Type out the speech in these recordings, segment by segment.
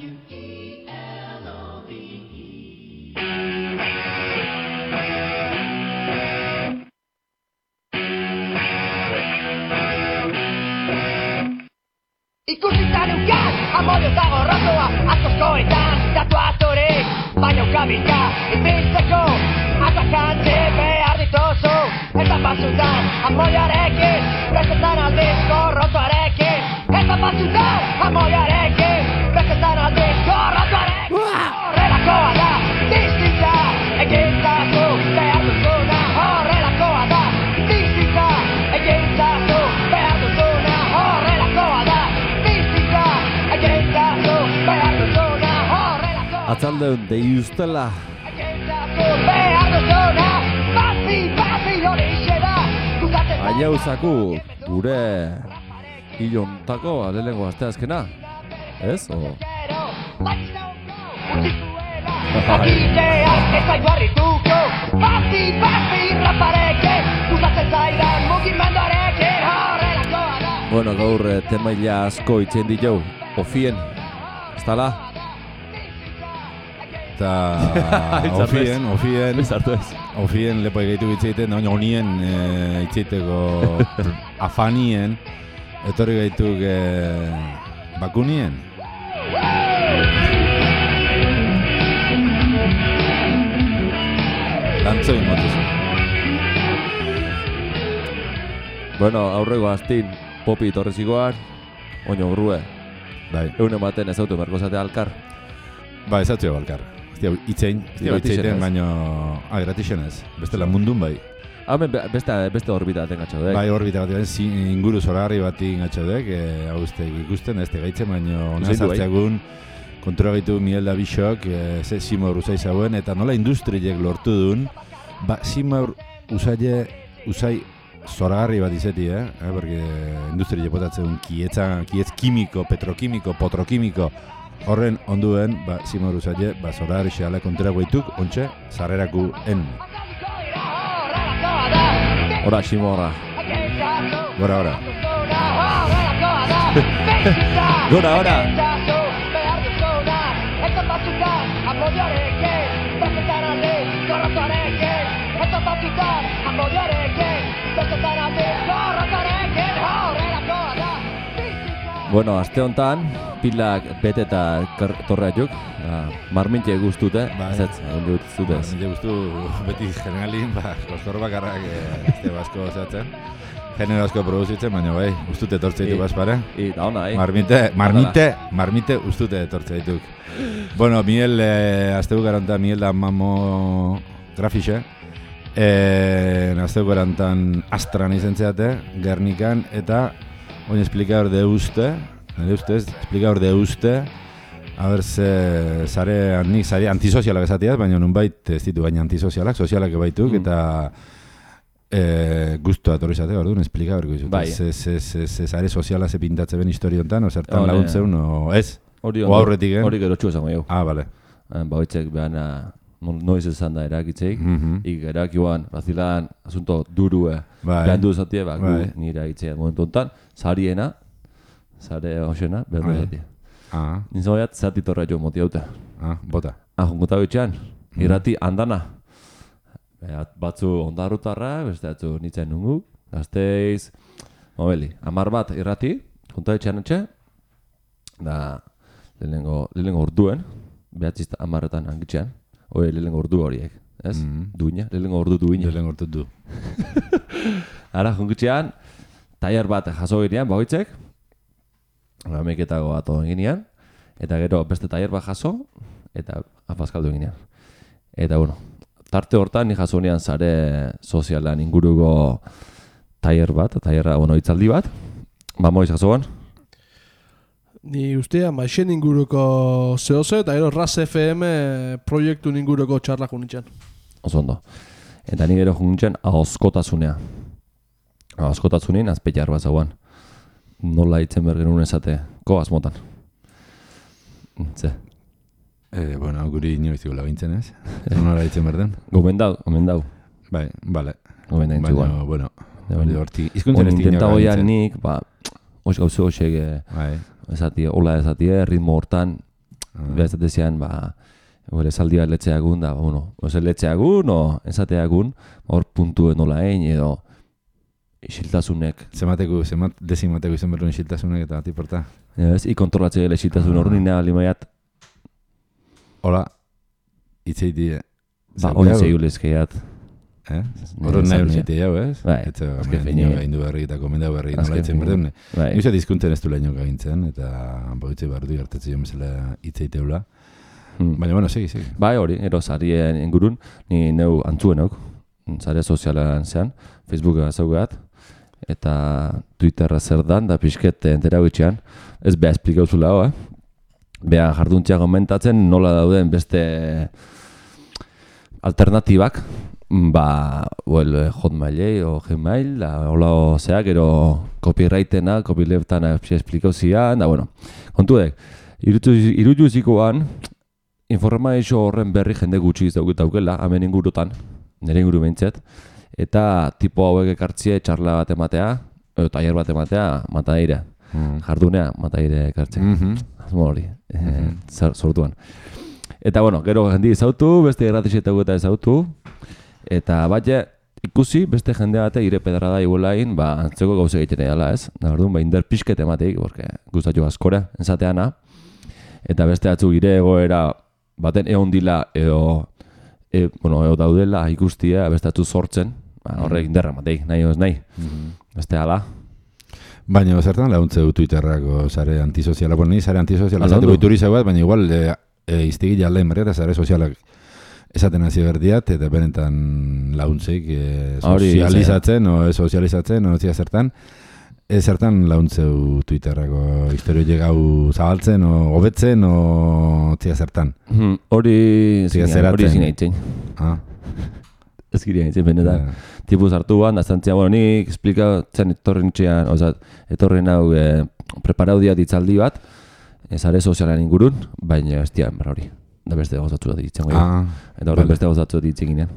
Ikusita neukan, amodio eta gorrotoa Atozkoetan, datu atorik Baina ukabika, ibiltzeko Atakantzi behar dituzu Eta batzutan, amodioarekin Bestetan aldiz gorrotoarekin Eta batzutan, amodioarekin Bestetan aldiz gorrotoarekin Horrelakoa da, distintza Egintzazu, behar duzuna Horrelakoa da, distintza Egintzazu, behar duzuna Horrelakoa da Atzaldeun dei ustela Aiauzaku gure hilontako alelengo asteazkena Ez? Bueno, gaur temaila asko itzen ditu Ofien, ez tala? Eta ofien lepo egeitu bitzeiten, baina honien itzeiteko afanien, etorri gaituk bakunien. Lantzoin motuzu. Bueno, aurrego astin popi torrezikoan, oino grue. Bai. Egun ematen ez auto merkozate alkar. Ba, ez auto alkar. Itzein, baina gratixenez. Bestela mundun bai. Hemen beste orbita baten gatxaudek. Bai, orbita baten inguru zoragarri bati gatxaudek. Hau ikusten ez tegaitzen, baina hona zartzeagun kontura gaitu Mielda Bixok, ze Simor usai zauen, eta nola industriek lortu duen, ba, Simor usai zoragarri bat izeti, porque industriek potatzen kietz kimiko, petrokimiko, potrokimiko, horren onduen, ba, Simor usaile, ba, zoragarri xeala kontura gaituk, ontxe, zarreraku en. Hora, Simorra. Gora. Gora. Bueno, aste hontan pilak bete eta torreatuk, marmintxe guztute, ez guztute. Marmintxe guztu beti generalin, kostor bakarrak este basko zehatzen. Genero asko produzitzen, baina bai, ustute etortze ditu bazpare. Eta hona, Marmite ustute etortze dituk. Bueno, Miel, aztegu garanta Miel da mamo grafixe. Aztegu garantan Astran izen zeate, Gernikan, eta oin explicador de uste, a ber ze zare antisozialak esatiaz, baina nunbait ez ditu baina antisozialak, sozialak baituk, eta gustu atorri zate, orduan, explicador guizut. Bai. Ze zare soziala ze pintatze ben historiontan, o zertan laguntzeun, o ez? O aurretik, Hori gero txu esango jau. Ah, bale. Bauitzek behana noiz esan da erakitzeik, erakioan, razilan, asunto durue, behan du esatie, nire egitzea momentu enten, zariena, zare hoxena, behar du esatie. Nintzen baiat, zati torra jo moti haute. Bota. Jungota bitxean, irrati handana. Batzu ondarrutarra, beste batzu nintzen nungu, gazteiz, mobili, 10 bat irrati, junta bitxean etxe, da lehenengo orduen, behatzizta 10etan angitxean, lehenengo ordu horiek, ez? Duina, lehenengo ordu duina. Lehenengo ordu du. Ara, jungitxean, tailer bat jaso ginean, bagoitzek, ameketago ato ginean, eta gero beste tailer bat jaso, eta afaskaldu ginean. Eta, bueno, tarte hortan ni jaso ginean zare sozialan inguruko tailer bat, hitzaldi bat, moiz jasoan. Ni ustea maixen inguruko zehose eta gero RAS FM proiektu inguruko txarlak unitzen. Oso ondo. Eta ni gero junitzen ahoskotasunea. Ahoskotasunin azpeiar bat zauan. Nola hitzen bergenun esate, koaz motan. Ze? Bueno, guri inoiztiko lagintzen ez? Nola hitzen berden? Gomendau. Bai, bale. Gomendau intzuan. Baina, bueno, izkuntzen ez intentago janik, oz gauze hoxek, esatie, ritmo hortan, Beraz dezian, esaldi bat letxeagun, da, oze letxeagun, o esateagun, hor puntuen nola egin, edo isiltasunek. Dezimateko izan berruen isiltasunek eta tiporta. Ez, ikontrolatzea gela isiltasun hor nina limaiat. Hola, itzeiti. Hori zeigulezkeiat. Horren nahi hori zitea jau, ez? Bai, Eta nio gaindu berri eta komendau berri nola itzen berdeune. Nizat izkuntzen ez du leheno gaintzen, eta boitze bardu jartetzi jo mesela itzeiteula. Baina, bueno, segi. Bai, hori, ero zarien ingurun, ni neu antzuenok, zare sozialan zean, Facebooka zaugat, eta Twitterra zer dan, da pixket entera gutxean, ez beha esplikauzula hoa, beha jarduntzea komentatzen nola dauden beste alternatibak, Hotmailei o Gmail, hola zeak, ero copyrightena, copyleftana esplikauzia, da, bueno, kontudek, irutuzikoan, informazio horren berri jende gutxi daukela, hemen ingurutan, nire inguru behintzet, eta tipo hauek ekartzie txarla bat ematea, taller bat ematea, mataire, jardunea, mataire ekartzea. Azmo hori, sortuan. Eta, bueno, gero jendi ezautu, beste erratixetago eta ezautu, eta batxe, ikusi, beste jende bate ire pedarra da iguelain, antzeko gauze egiten edala, ez? Nabardun, inder pixket emateik, porque guztatio askora, enzateana, eta beste atzu ire egoera, baten egon dila edo daudela ikustia beste atzu sortzen, horrek inderra mateik, nahi oz nahi, beste ala. Baina, zertan laguntze Twitterrako zare antisoziala, ni zare antisoziala zateko ituriza bat, baina igual iztegi jalen berriata zare sozialak esaten hasi berdiat, eta benetan laguntzeik sozializatzen, sozializatzen, zertan. Zertan launtzeu Twitterrako historioiek hau zabaltzen, hobetzen, zertan? Hori zinaitzen. Ez girean itzen benetan. Tipuz hartu ban, da zantzia, nik esplikatzen etorren hau preparaudia ditzaldi bat, zare sozialan ingurun, baina ez dian berra hori. Da beste gauzatzu da ditzen goi. Eta horren beste gauzatzu da ditzen ginean.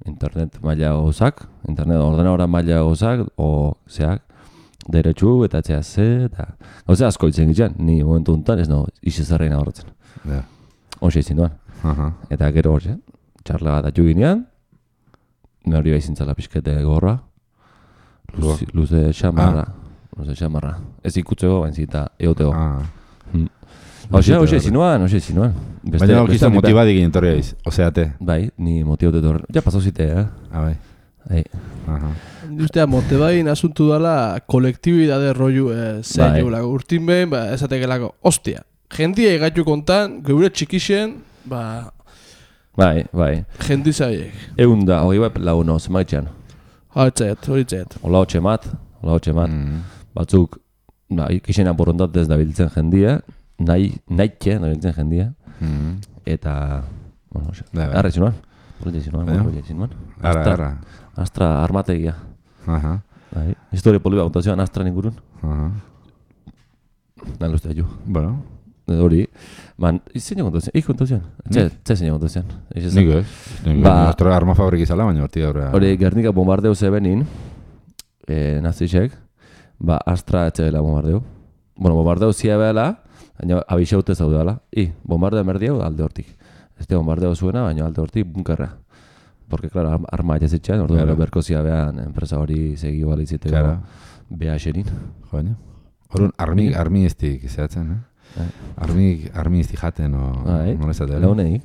Internet maila gauzak, internet ordenadora maila gauzak, zeak, deretsu eta etxea eta gauze asko ditzen gitzen, ni momentu untan ez izizarreina horretzen. Hoxe izin duan. Eta gero horxe, txarla bat atxu ginean, hori baizintzala pixkete gorra, luze xamarra, ez ikutzeko, bainzita eoteko. Hoxe zinuan. Baina okizta motibadik ginen torri aiz, oseate. Bai, ni motibote torri. Ja, pasau zite, bai. Ustea, motibain asuntu dala kolektibidade rollu zein urtin behin, esatekelako, ostia, jendia egaitu kontan, geure txikixen, Bai. Jendi zaiek. Egun da, hori bai laguno, zemaitxean. Horitzet. Ola hotxe mat. Batzuk, ikixena borondatez da biltzen jendia, nahike da biltzen jendia. Eta, arra zinuan. Astra armategia. Historia poliba kontazioan Astra ningurun. Nahi luztea ju. Bueno. Hori, zein kontazioan? Zein kontazioan? Niko ez. Nostra arma fabrik izala, baina horti gaur. Hori, Gernika bombardeo zebenin, nazisek, Astra etxegela bombardeo. Bombardeo zia behela, baina abixaute zaudela. Bombardeo merdiau alde hortik. Este bombardeo zuena, baina alde hortik bunkerra. Porque, claro, arma etxezitxean, orduan berko zia behan enpresa hori segi balitziteko beha xerin. Horun, armi estik zehatzen, Armi izti jaten, nola ezatea. Leoneik.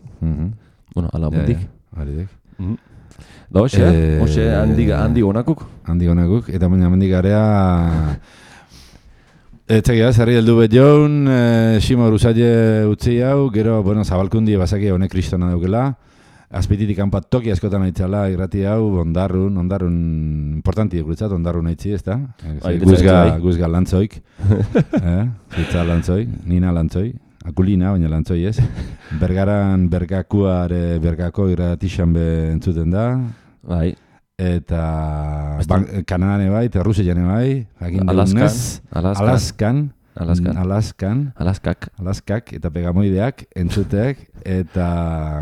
Ala mundik. Haridek. Da hoxe, handi gonakuk. Handi gonakuk, eta baina mendik garea... Etxegia, zerri heldu bet joun, Ximo Rusaile utzi hau, gero, zabalkundi bazaki honek kristona daukela, azpititik kanpat toki askotan aitzala, irrati hau, ondarrun, importanti guretzat, ondarrun aitzi, ez da? Guzga lantzoik, zitza lantzoik, nina lantzoi, akulina, baina lantzoi ez. Bergaran bergako irratixan be entzuten da. Bai. Eta Kanadane bai, eta Rusian bai, Alaskak eta Pegamoideak entzuteak, eta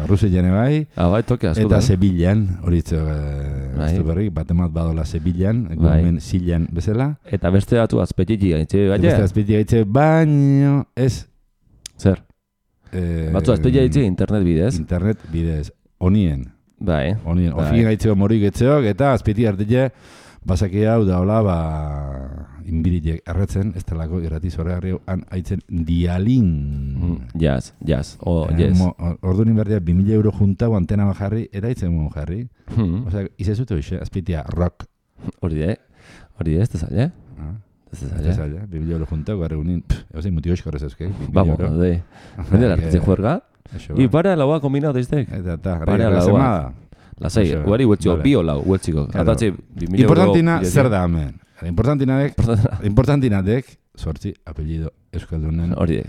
Rusian bai, eta Sevillan, horitzo berrik, batemat badola Sevillan, gumen Zilan bezala. Eta beste batu azpetiti gaitze, baina ez Zer? Batzu azpeia ditzi internet bidez. Internet bidez. Onien. Bai. Ofien gaitzeko morik etzeok, eta azpiti hartile, basaki hau da hola, inbiritek erretzen, ez talako irrati zorregarri han haitzen dialin. Jazz. Yes. Ordu ninberdia 2.000 euro juntau antena bajarri, eta haitzen muen jarri. Osea, izezutu hoxe, azpitia rock. Hori ez da zaila. Ez da zaila, 2.000 euro juntau, garri unin, eusei mutio eskorrez euskei. Vamos, de. Vende la que juerga. Y para la combinado desde. Para la semana. La sei, guari huetxiko, bi olau, huetxiko. Atatzi, 2.000 euro. Importantina, zer da hemen. Importantinadek, sortzi, apellido euskaldunen. Hori.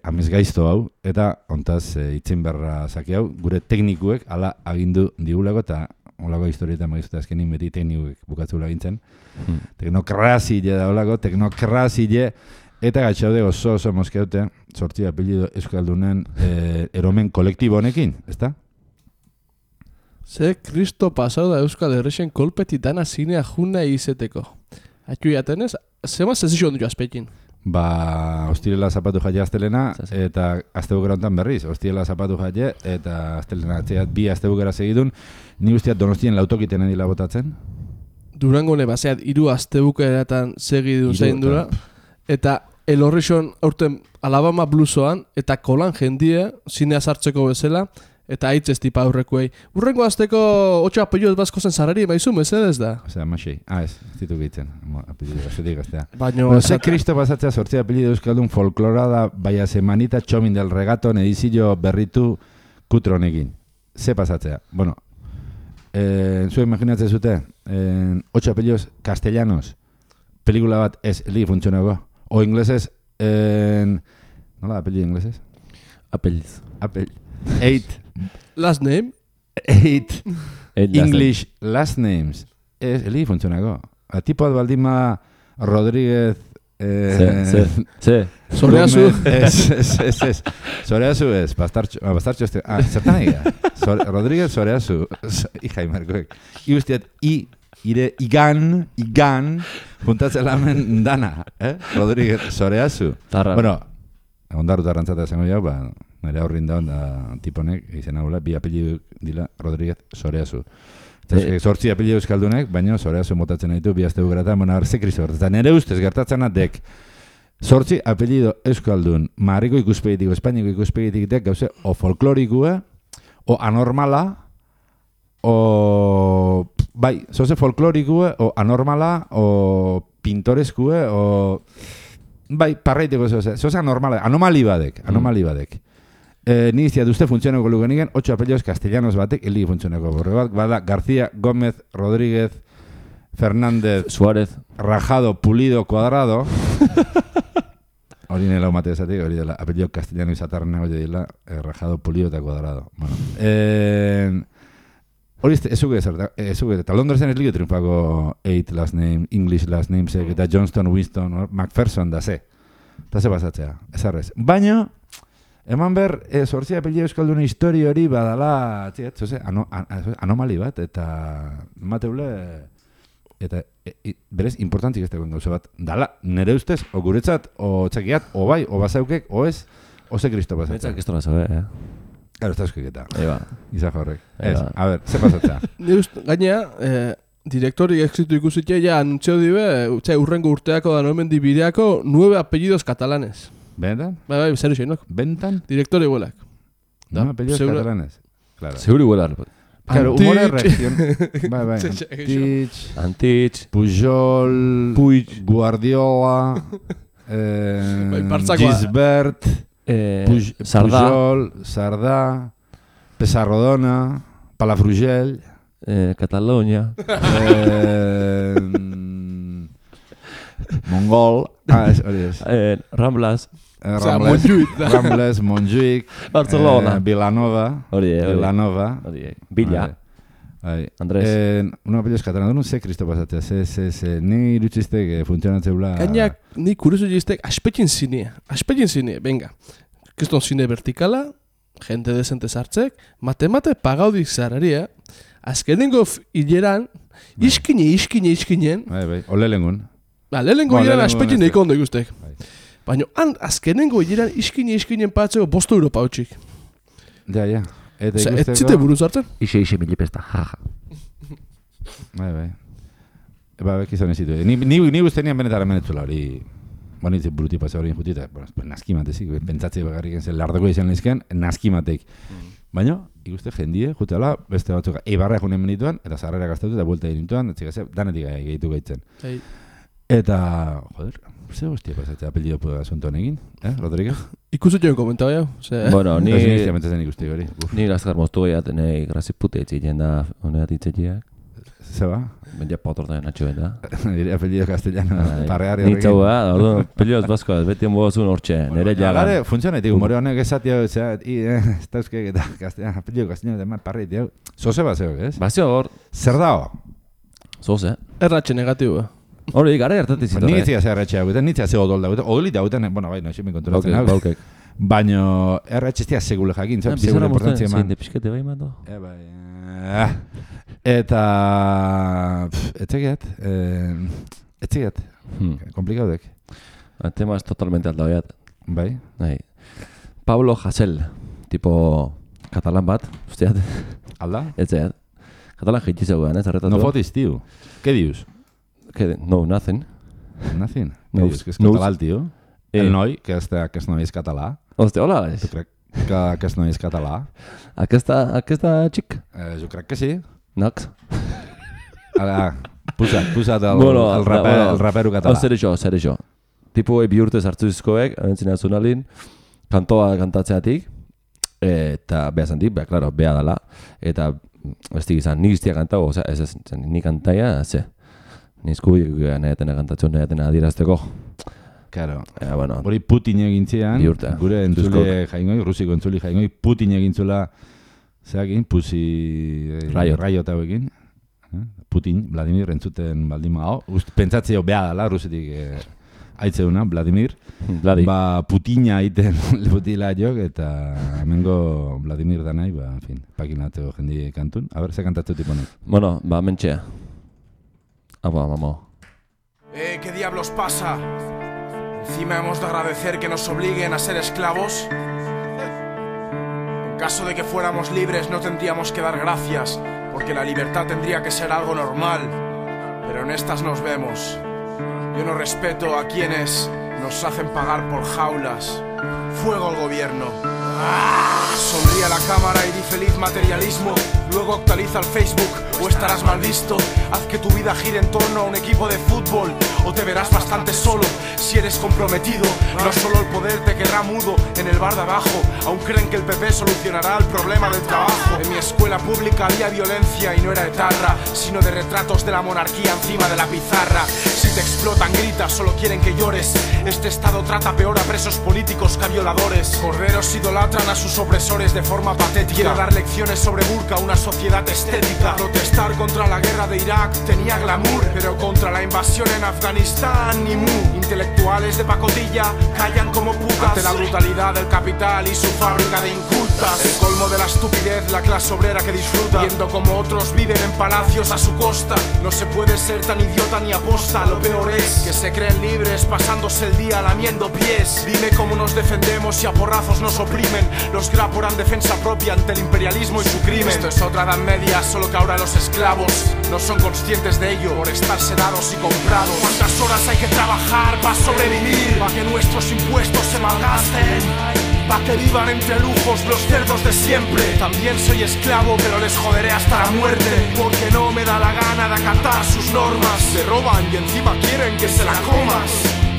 Amez gaizto hau, eta ontaz itzen berra zaki hau, gure teknikuek ala agindu digulako, eta olako historieta magizuta azkenin beti teknikuek bukatzula gintzen. Teknokrazile da olako, teknokrazile, eta gatxaude oso moskeute, sortzi, apellido euskaldunen eromen kolektibo honekin, ezta? Ze kristo pasau da Euskal Herrixen kolpeti dana zinea juna izeteko. Atxu jatenez, zema zezizio ondu azpekin? Ostirela zapatu jaia astelena, eta astebukera hontan berriz. Ostirela zapatu jaia, eta astelena atzeat bi astebukera segidun. Ni guztiat Donostien lautokiten edila botatzen. Durangone baseat 3 astebukeratan segidun zein dura. Eta El Horrixon aurten Alabama Bluesoan, eta kolan jendie, zinea sartzeko bezala, eta haitz ez tipa aurrekoei. Urrengo azteko 8 apellidoz bazko zen zarari emaizu, mesedez da? Osea, masei. Ez ditu gehitzen. Apellido, azetik gaztea. Baina... Ze kristo pasatzea sortzea apellido euskaldun folklorada, baina semanita txomin del regaton edizio berritu kutronekin. Ze pasatzea? Bueno, zuen imaginatzen zute, 8 apellidoz castellanos, pelikula bat ez li funtzionago. O inglesez, nola apellido inglesez? Apelliz. 8 last name? 8 English last names. Eli funtzionako. A tipo baldima Rodríguez Soreazu. Soreazu ez. Bastartxo este. Zertan egia. Rodríguez Soreazu. Ijai markoek. Iustiat igan juntatzen lamen dana. Rodríguez Soreazu. Bueno, ondarruta rantzata zengo jau, nire aurrin daun tiponek, izan haula, bi apellidu dila Rodríguez Soreazu. Zortzi apellidu euskaldunek, baina Soreazu motatzen ditu, bi azte bukerata, ze kristo gertatzen. Nire ustez gertatzen dek, zortzi apellidu euskaldun, marriko ikuspegitik, espainiko ikuspegitik dek, gauze, o folklorikua, o anormala, o... Bai, zoze folklorikua, o anormala, o pintoreskua, o... Bai, parraiteko zoze anomali badek. Ni iztiat uste funtzioneko lugenigen, 8 apellidos castellanos batek, eli funtzioneko borre bat, bada García, Gómez, Rodríguez, Fernández, Suárez, Rajado, Pulido, Cuadrado. Hori nela umate esatik, hori dela, apellido castellano izatarren hori dela, Rajado, Pulido eta Cuadrado. Bueno, hori ezuke eta Londresen ez ligo triunfako 8 last name, English last names, eta Johnston, Winston, Macpherson da ze. Eta ze pasatzea, ez arrez. Baina, eman ber, zortzia apellido euskalduna historia hori badala, anomali bat, eta mateule, eta berez importantzik ez dagoen gauza bat. Dala, nere ustez, o guretzat, o txakiat, o bai, o bazaukek, o ez, o ze kristo pasatzea. Netzak ez tola zabe, Claro, está escrita. Eba. Izajo horrek. A ver, ze pasatzea? Gainea, direktori exitu ikusitea ja anuntzio dibe, urrengo urteako da nomen dibideako 9 apellidos catalanes. ¿Bentan? Bai, zer xeinok. ¿Bentan? Direktori huelak. 9 apellidos catalanes. Claro. Seguro huelar. Claro, humor reacción. Bai. Antich. Pujol. Guardiola. Gisbert. Pujol, Sardà, Pesarrodona, Palafrugell, Catalunya, Mongol, Ramblas, Montjuïc, Barcelona, Vilanova, Villa, Andrés. Una apellidos catalana, no sé Cristo pasatzea, ni irutxiztek funtzionatzeula... Gainak, ni kurizu jiztek, aspetin zine, venga. Kriston zine vertikala, gente decente sartzek, mate pagaudik zararia, azkenengo hileran, iskinen. Bai, ole lengun. Lehenengo hileran aspetin neiko ondo ikustek. Baina azkenengo hileran iskinen patzeko 5 euro pautxik. Ja. Eta Osea, ikusteko... ez zite buruz hartzen? Ixe milipesta, jaja. Bai. Bekizan ez zitu. Ni guztenian benetara menetzula hori... Bonitzen buruti pasa hori injutita. Naskimatezik, pentsatze bagarrik zen lardako izan lehizken, naskimatek. Baina, ikuste jendie, juteala, beste batzuk, eibarra junen menituan, eta zarrera gaztatu eta buelta dinintuan, danetik gehitu gaitzen. Eta, joder, ze hostia pasatzea apellido asuntoan egin, Rodríguez? Ikustu joan komentau jau? Bueno, ni... Ni amentezen ikusti hori. Ni azkar moztu gehiat, nahi grazipute etxeien da, honeat itzetxeak. Zeba? Bendia potortan atxoen da. Nire apellido castellano, parreari horrekin. Nitzaua, orduan, apellidoz baskoaz, beti enbogazun hortxe, nire jagan. Gare, funtsionetik, humore honek esatio, ez dauzkek eta apellido castellano demat parri, tio. Zoze bat zeok, ez? Bazio hor, Zer dago? zoze. Erratxe negatiboa. Hori, gara hartatik zitu. Ni etzia zer erretxea guten, nitzia ze odol dagoetan. Odolita guten, bueno, bai, noixe mi konturatzen hau. Baukek. Baina erretxestia segule jakin, Bizarra segule mozten, importantzia eman. zein de pixkete bai mando. Eta... Etxegiat. Komplikaudek. El tema es totalmente aldauiat. Bai. Pablo Hasél, tipo catalán bat, usteat. Alda? Etzeat. Catalán jeitxizegoan, ez arretatu. No fotis, tío. ¿Qué dius? No, nothing. Nothing. No, Que és català el tio. El noi, que aquest noi és català. Hòstia, hola. Tu crec que aquest noi és català? Aquesta xic? Jo crec que sí. Nox. Ara, posa't el rapero català. Zer això. Tipo bihurtez hartu izkoek, abentzina zunalin, kantoa kantatzeatik, eta beha zantik, beha dala, eta ez izan, nik iztia kantago, ez nik kantaia, ze. Nizkubik nahetena kantatzen, nahetena adirazteko. Claro. Bueno, hori Putin egintzean, bihurta. Gure entzule jaingoi, rusiko entzule jaingoi, Putin egintzula, zeakin, raio eta hauekin. Putin, Vladimir, entzuten baldin hau. Pentsatzeo beha dala, rusetik aitzeuna, Vladimir. Ba, Putina aiten putila jok, eta hemengo Vladimir da nahi, ba, en fin, pakinateo jendi kantun. A ver, ze kantatzu tiponek. Bueno, ba, mentxea. Vamos. ¿Qué diablos pasa? Encima hemos de agradecer que nos obliguen a ser esclavos. En caso de que fuéramos libres no tendríamos que dar gracias, porque la libertad tendría que ser algo normal. Pero en estas nos vemos. Yo no respeto a quienes nos hacen pagar por jaulas. Fuego al gobierno. Sonríe a la cámara y di feliz materialismo. Luego actualiza el Facebook o estarás mal visto. Haz que tu vida gire en torno a un equipo de fútbol, o te verás bastante solo si eres comprometido. No solo el poder te quedará mudo en el bar de abajo. Aún creen que el PP solucionará el problema del trabajo. En mi escuela pública había violencia y no era etarra, sino de retratos de la monarquía encima de la pizarra. Si te explotan gritas, solo quieren que llores. Este estado trata peor a presos políticos que a violadores. Corderos idolatran a sus opresores de forma patética. Quiero dar lecciones sobre burka, una sociedad estética. Protestar contra la guerra de Irak tenía glamour, pero contra la invasión en Afganistán ni mu. Intelectuales de pacotilla callan como putas ante la brutalidad del capital y su fábrica de incultas. El colmo de la estupidez, la clase obrera que disfruta viendo como otros viven en palacios a su costa. No se puede ser tan idiota ni aposta. Lo peor es que se creen libres pasándose el día lamiendo pies. Dime cómo nos defendemos si a porrazos nos oprimen. Los graporan defensa propia ante el imperialismo y su crimen. Esto es otra edad media, solo que ahora los esclavos no son conscientes de ello por estar sedados y comprados. ¿Cuántas horas hay que trabajar para sobrevivir? Para que nuestros impuestos se malgasten, para que vivan entre lujos los cerdos de siempre. También soy esclavo, pero les joderé hasta la muerte, porque no me da la gana de acatar sus normas. Se roban y encima quieren que se la comas.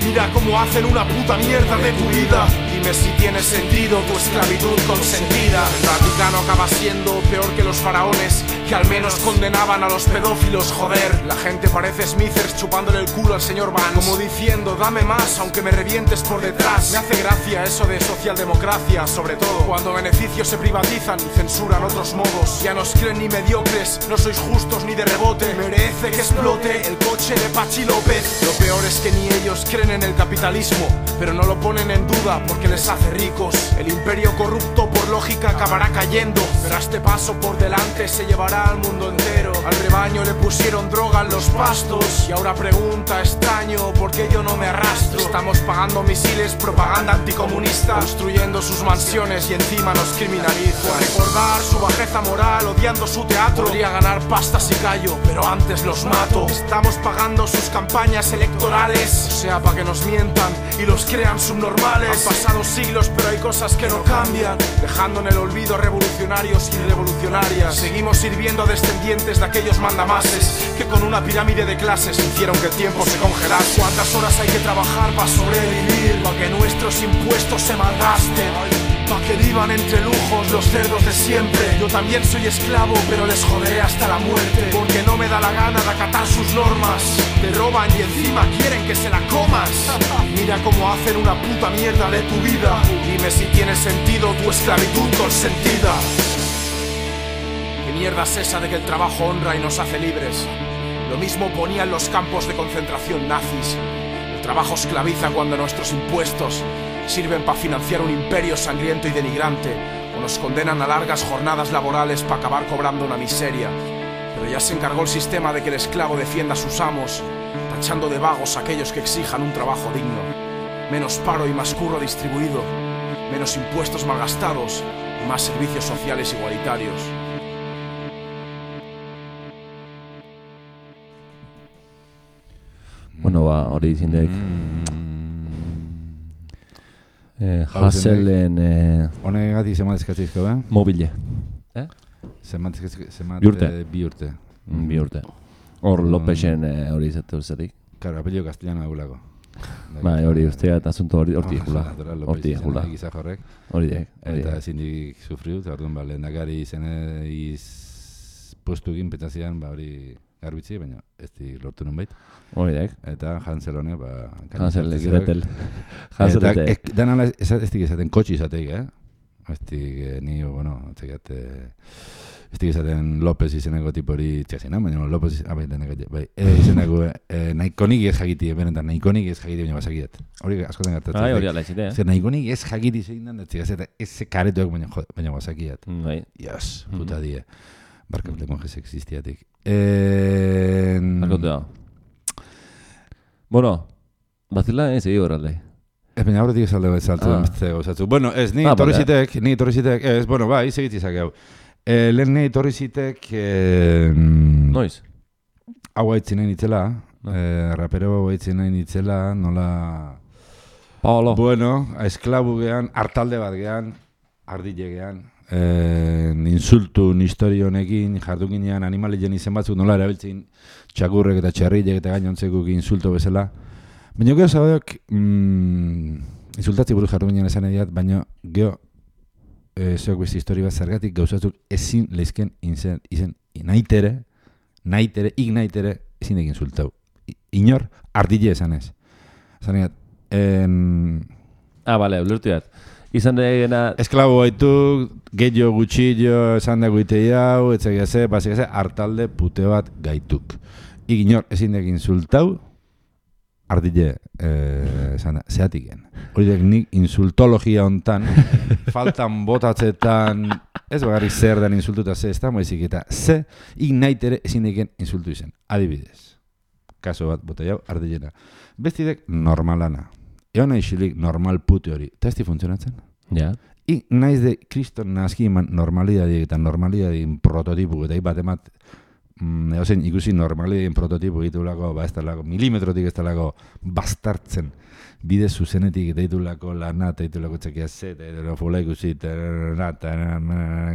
Mira cómo hacen una puta mierda de tu vida. Dime si tiene sentido tu esclavitud consentida. El Vaticano acaba siendo peor que los faraones, que al menos condenaban a los pedófilos, joder. La gente parece Smithers chupándole el culo al señor Vance, como diciendo, dame más aunque me revientes por detrás. Me hace gracia eso de socialdemocracia, sobre todo cuando beneficios se privatizan y censuran otros modos. Ya no os creen ni mediocres, no sois justos ni de rebote. Merece que explote el coche de Pachi López. Lo peor es que ni ellos creen en el capitalismo, pero no lo ponen en duda porque les hace ricos. El imperio corrupto por lógica acabará cayendo, pero a este paso por delante se llevará al mundo entero. Al rebaño le pusieron droga en los pastos y ahora pregunta extraño por qué yo no me arrastro. Estamos pagando misiles, propaganda anticomunista, construyendo sus mansiones y encima nos criminaliza. Por recordar su bajeza moral, odiando su teatro, podría ganar pasta si callo, pero antes los mato. Estamos pagando sus campañas electorales, o sea, para que nos mientan y los crean subnormales. Han pasado siglos, pero hay cosas que no cambian, dejando en el olvido revolucionarios y revolucionarias. Seguimos sirviendo a descendientes de aquellos mandamases que con una pirámide de clases hicieron que el tiempo se congelase. ¿Cuántas horas hay que trabajar para sobrevivir? Para que nuestros impuestos se malgasten, para que vivan entre lujos los cerdos de siempre. Yo también soy esclavo, pero les joderé hasta la muerte, porque no me da la gana de acatar sus normas. Te roban y encima quieren que se la comas. Mira cómo hacen una puta mierda de tu vida. Dime si tiene sentido tu esclavitud consentida. ¿Qué mierda es esa de que el trabajo honra y nos hace libres? Lo mismo ponían los campos de concentración nazis. El trabajo esclaviza cuando nuestros impuestos sirven para financiar un imperio sangriento y denigrante, o nos condenan a largas jornadas laborales para acabar cobrando una miseria. Pero ya se encargó el sistema de que el esclavo defienda a sus amos, tachando de vagos a aquellos que exijan un trabajo digno. Menos paro y más curro distribuido, menos impuestos malgastados y más servicios sociales igualitarios. Bueno, hori izindeik. Haselen Honegatik zemat eskatzizko, mobile. Zemat bi urte. Bi urte. Hor Lopesen hori izate uzatik. Claro, apelio castellano agulako. Bai, hori ustea eta asunto hori horti egula. Horti egula. Hori dek. Eta ezindik sufriu, eta orduan lehendakari postu egin petzazian, hori garbitzi, baina ez di lortu nun bait. Hori dek. Eta Hansel honek, Hansel Gretel. Hansel Gretel. Danala ez dik esaten kotxi izateik, ez dik ni, bueno, ez dik esaten López izeneko tipori txasina, baina López izeneko nahikonik ez jakiti, benetan nahikonik ez jakiti, baina basakidet. Hori askotan gertatzen. Hori ala izite, Zer nahikonik ez jakiti zein den, ez karetuak baina basakidet. Yes, puta die. Barkable monjes existiatik. Arkotea. Bueno, bazila egi horralde. Ez baina horretik esalde bat saltu den beste gauzatzu. Bueno, ez, ni torrizitek, ez, bueno, bai, segitizak hau. Lehen nahi torrizitek... Noiz? Hau haitzen nahi nitzela, rapero hau haitzen nahi nitzela, nola... Paolo. Bueno, esklabu gehan, hartalde bat gehan, ardile gehan, insultun historio honekin, jardukinean animalien izen batzuk nola erabiltzen txakurrek eta txarrilek eta gainontzekuk insulto bezala. Baina gero zaudok, insultatzi buruz jardukinean esan ediat, baina gero zeok beste histori bat zergatik gauzatzuk ezin lehizken izen naitere, ezin egin insultau. Inor, ardile esan ez. Esan ediat, bale, ulertu dat. Izan degena... Esklabo baitu, gehiago gutxillo, esan dago itei hau, etxegiaze, basikaze, hartalde pute bat gaituk. Iginor, ezin egin insultau, ardile, zehatiken. Hori dek nik insultologia hontan, faltan botatzetan, ez bagarrik zer den insultuta ze, ez da moizik eta ze, ignaitere ezin egin insultu izen. Adibidez, kaso bat bota jau, ardilena. Bestidek normalana. Egon nahi xilik normal pute hori. Eta ez di funtzionatzen? Ja. Ik naiz de kriston nazki eman normalidadien eta normalidadien prototipu, eta bat emat, egozen ikusi normalidadien prototipu egitulako, ez talako, milimetrotik ez talako bastartzen, bide zuzenetik eta egitulako lana, eta egitulako txekia Z, eta fula ikusi, eta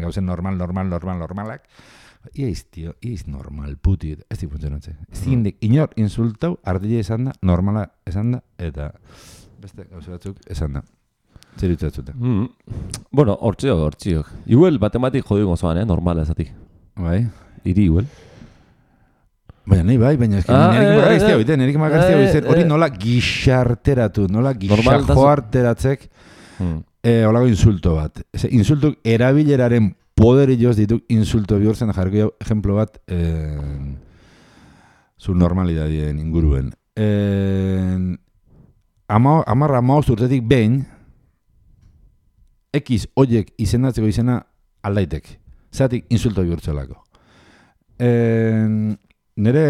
gauzen normalak, iaiz, tio, iaiz normal puti, ez di funtzionatzen. Ez dik inor insultau, ardile esan da, normala esan da, eta beste gauze batzuk esan da. Zer ditzatzute? Bueno, hortziok. Igual batematik jodik gozoan, normala esatik. Bai? Iri igual. Baina nahi bai, baina nerik magariztia biten, hori nola gixarteratu, nola gixajoarteratzek holago insulto bat. Insultuk erabileraren poderi joz dituk insulto bihurtzen jarriko jau ejemplo bat zu normalidadien inguruen. Amarra maoz urtetik behin, X oiek izendatzeko izena aldaitek. Zeratik insulto bihurtzelako. nire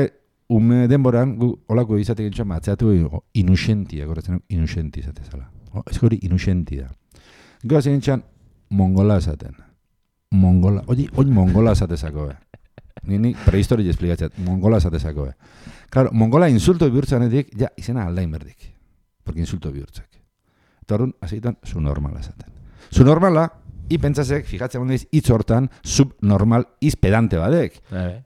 ume denboran, gu olako izatek gintxan, atzeatu inusentia, goratzen inusenti izatezala. Ez hori inusentia. Gero gintxan, mongola esaten. Mongola, hori mongola esatezako, Ni prehistoria esplikatzat, mongola esatezako, Claro, mongola insulto bihurtzanetik, ja, izena aldain berdik. Porque insulto bihurtzak. Eta horren, azeitan, subnormala esaten. Subnormala, pentsasek, fijatzen hondiz, hitz hortan, subnormal izpedante badek.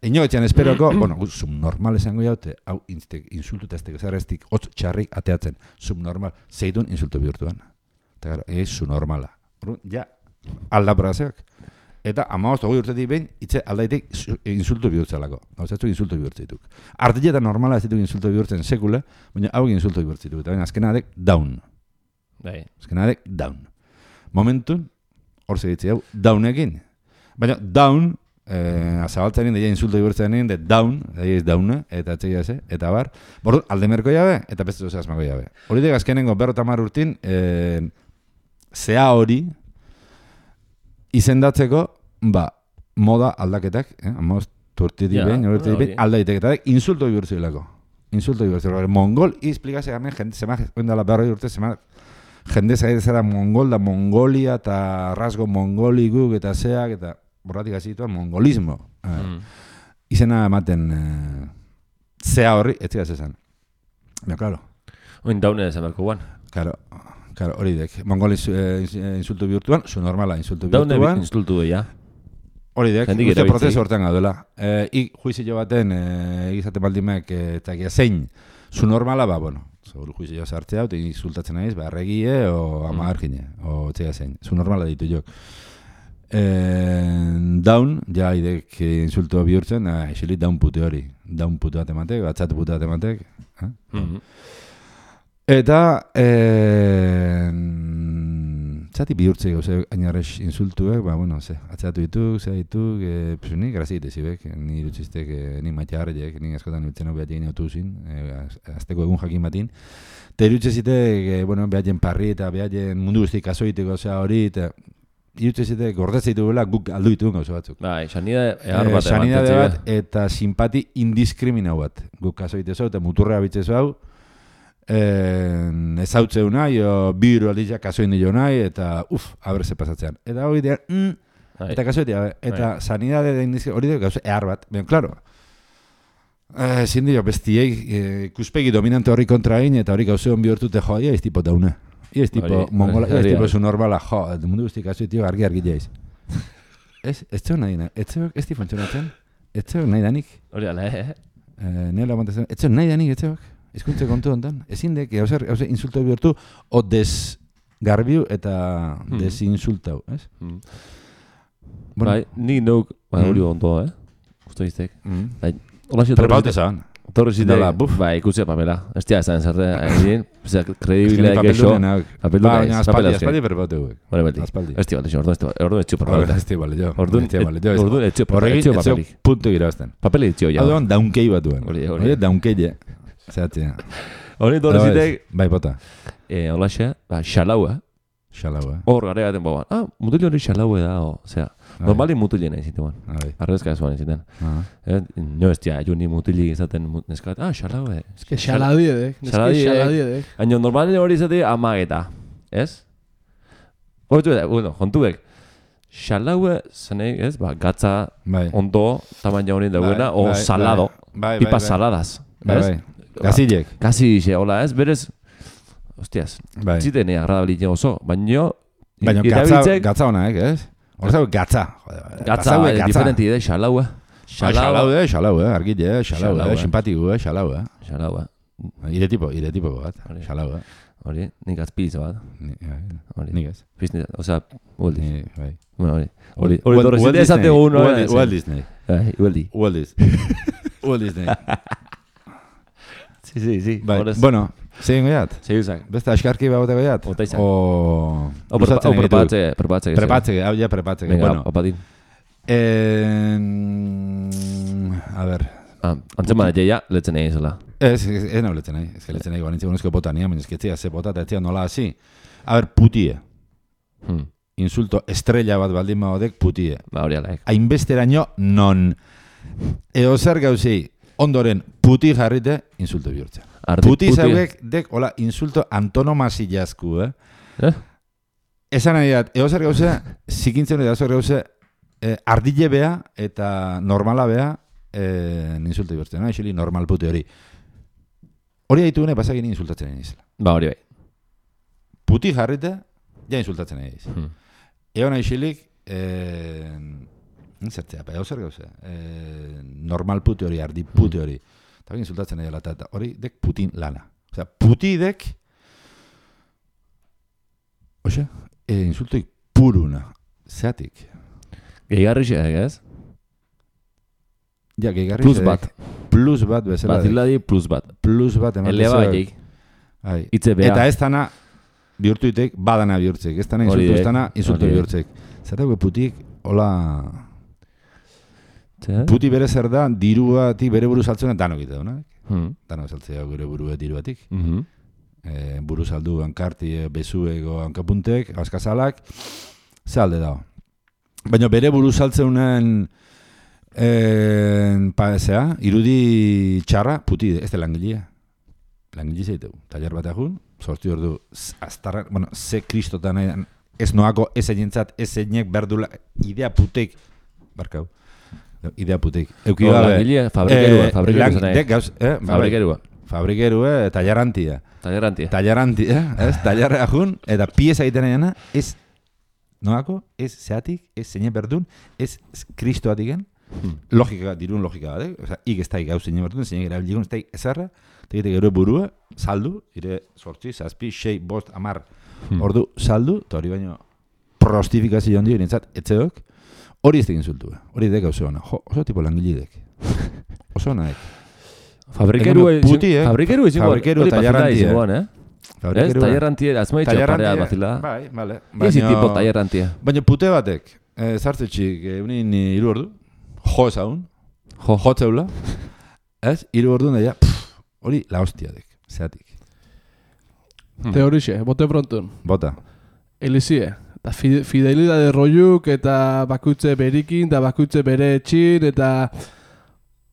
Eno etxean esperoko, subnormal esango jaute, hau insultuta eztek ezarreztik, hotz txarrik ateatzen. Subnormal, zeitun insulto bihurtuan. Eta gara, subnormala. Ja, aldabrazeak. Eta 15 urtetik behin, itze aldaitik insultu bihurtzelako. Gauzatzu insultu bihurtzituk. Artilletan normala ez ditu insultu bihurtzen sekule, baina hau insultu bihurtzituk. Eta baina azkenadek down. Azkenadek down. Momentun, hor segitzi hau, downekin. Baina down, azabaltzen deia insultu bihurtzen de down, deia ez downe, eta etxegia ze, eta bar. Bordu, aldemerko jabe, eta beste zoze asmako jabe. Horitek azkenengo 50 urtin, zea hori, izendatzeko, moda aldaketak, turtiti behin, aldaitek, insulto bihurtzilako. Insulto bihurtzilako. Mongol, izplikazio gamen, jende, zema, oindala berroi urte, zema, jende zaitezera mongol da mongolia, eta rasgo mongoliguk, eta zeak, eta borratik azituan, mongolismo. Izena ematen, zea horri, etzigaz esan. Ja, claro. Oin daune esan berko guan. Claro, hori dek. Mongol insultu bihurtuan, su normala insultu bihurtuan. Daune insultu ja. Hori dek, uste prozesu hortan gaudela. Juizio baten, egizate baldimek, eta zein, su normala, juizio sartzea, eta insultatzen naiz, arregie, o amagargine, o txea zein. Su normala ditu jok. Down, ja, idek insultu bihurtzen, esilit down pute hori. Down pute bat ematek, batzatu pute bat ematek. Eta, txati bihurtzei gauze ainarrez insultuek, atzatu dituk, zea dituk, ni grazite zibek, ni dutxistek, ni maite harriek, ni askotan dutzen hau behatien otu zin, azteko egun jakin batin. Eta irutxezitek, behatien parri eta behatien mundu guztik kasoiteko zea hori, eta irutxezitek gordetzeitu bela guk aldu dituen gauze batzuk. Sanidade bat, eta simpati indiskriminau bat, guk kasoitezo eta muturrea bitzezo hau, ezautzeu nahi, biru aldizia kasoin dio nahi, eta aberze pasatzean. Eta hori dira, eta kasoitea, eta sanidade hori dira gauze ehar bat. Ben, klaro, ezin dio bestiei kuspegi dominante horri kontra egin, eta hori gauze hon bihurtute joa, ia ez tipo daune. Ia ez tipo mongola, ia ez tipo zu normala, mundu guztik kasoitio argi jaiz. Ez zeu nahi nahi, ez zeu ez tifontxonatzen, ez zeu nahi danik. Hori ala, Nela aguantazen, ez zeu nahi danik, ez zeu. Ezkuntze kontu ontan, ezin dek, hauze insulto bihurtu, o desgarbiu eta desinsultau, ez? Bai, nik nuk, hori ondo, Gusto iztek. Prepaute zan. Torre zitek, bai, ikutzea papela. Ez tia ezan zarte, kredibilea geixo. Baina aspaldi prepaute guek. Ez tia balde, orduan ez txio papelik. Ez tia balde, orduan ez txio papelik. Puntu girazten. Papeli txio, ja. Orduan daunkei batuen. Hori daunkei, zehatzea. Hori torre zitek. Bai, bota. Holaxe, xalaua. Xalaua. Hor, gara gaten boban. Mutilio hori xalaua da, osea. Normali mutilio nahi zitean. Arrezka ez nahi zitean. No ez tia, juni mutili izaten neskat. Xalaua. Xaladiedek. Aino, normali hori izate amageta. Ez? Hortu da, jontuek. Xalaua zanei, ez? Gatza ondo tamaina hori dagoena, o salado. Pipa saladas. Bai. Gazilek. Gazixe, hola, ez? Berez, hostiaz, zitenea agradabilia oso, baina gatza honak, ez? Horzau gatza. Gatza, diferenti ide, xalaua. Xalaua, argile, xalaua, simpatiku, xalaua. Xalaua. Ire tipo bat, xalaua. Hori, nik azpilizo bat. Nik ez. Osea, Walt Disney. Bueno, hori torre zite esatego uno. Walt Disney. Walt Disney. Sí. Bueno, zein goiat? Zein beste askarki bagote goiat? Ota izan. O prepatze, hau ja prepatze. Venga, opadin. A ver. Antzema da jaia, letzen egin zela. Ez nau letzen egin. Ez que letzen egin guanitze gonezko botania, baina ezketzia ze bota eta etzia nola hasi. A ver, putie. Insulto estrella bat baldin bagodek putie. Ba, hori alaik. Hainbesteraino non Eozer gauzei ondoren puti jarrite insulto bihurtzen. Puti zauek dek, hola, insulto antonomasilazku, Esan nahi dat, eozer gauze, zikintzen dut eozer gauze, ardile bea eta normala bea insulto bihurtzen, no? Normal puti hori. Hori haitugune pasagin insultatzen nahi izela. Ba, hori bai. Puti jarrite, ja insultatzen nahi izela. Egon nahixilik, zertzea, eozer gauze, normal puti hori, ardi puti hori. Eta insultatzen nahi dela, eta hori dek putin lana. Osea, puti dek, insultoik puruna, zeatik. Gehigarrixeak, ez? Ja, gehigarrixeak. Plus bat bezala. Baziladi plus bat. Plus bat ematen Eleba baiek. Itze bea. Eta ez dana bihurtuitek, badana bihurtzek. Ez dana insultu, ez dana insultu bihurtzek. Zerako putik, hola... Puti bere zer da, diruatik bere buru saltzen danok ite duna. Danok saltzea gure buru diruatik. Buru saldu, hankarti, bezuego, hankapuntek, askazalak, ze alde dago. Baina bere buru saltzeunen irudi txarra, puti, ez da langilea. Langile zeiteu. Taller bat egun, sortu hor du, aztarra, bueno, ze kristotan ez noako, ez egintzat, ez eginek berdula, idea putek, barkau, idea putek. Euki gabe. Langilea, fabrikerua. Fabrikerua. Fabrikerua, tallerantia. Tallerantia, ez, tallerra jun, eta pieza egiten egin, ez noako, ez zeatik, ez zeine berdun, ez kristoatiken, logika, dirun logika bat, oza, ik ez daik gauzeine berdun, zeine gara bilgun, ez daik ezarra, tegite gero burua, saldu, ire sortzi, zazpi, 6, 5, 10, ordu saldu, eta hori baino prostifikazio handi nintzat, etzeok, hori ez tekin zultu, hori dek gauze hona, oso tipo langilidek, oso hona dek. Fabrikeru izango, hori tallerrantia. Ez, tallerrantia, azmai txaparea bazila. Bai, bale. Ezi tipo tallerrantia. Baina pute batek, zartzetxik, unin 3 ordu, jo ezagun, jo tzeula, ez, 3 ordu daia, hori la hostia dek, zeatik. Teorixe, bote prontun. Bota. Elizie, eta fidelidade roiuk, eta bakoitze berikin, eta bakoitze bere etxin, eta...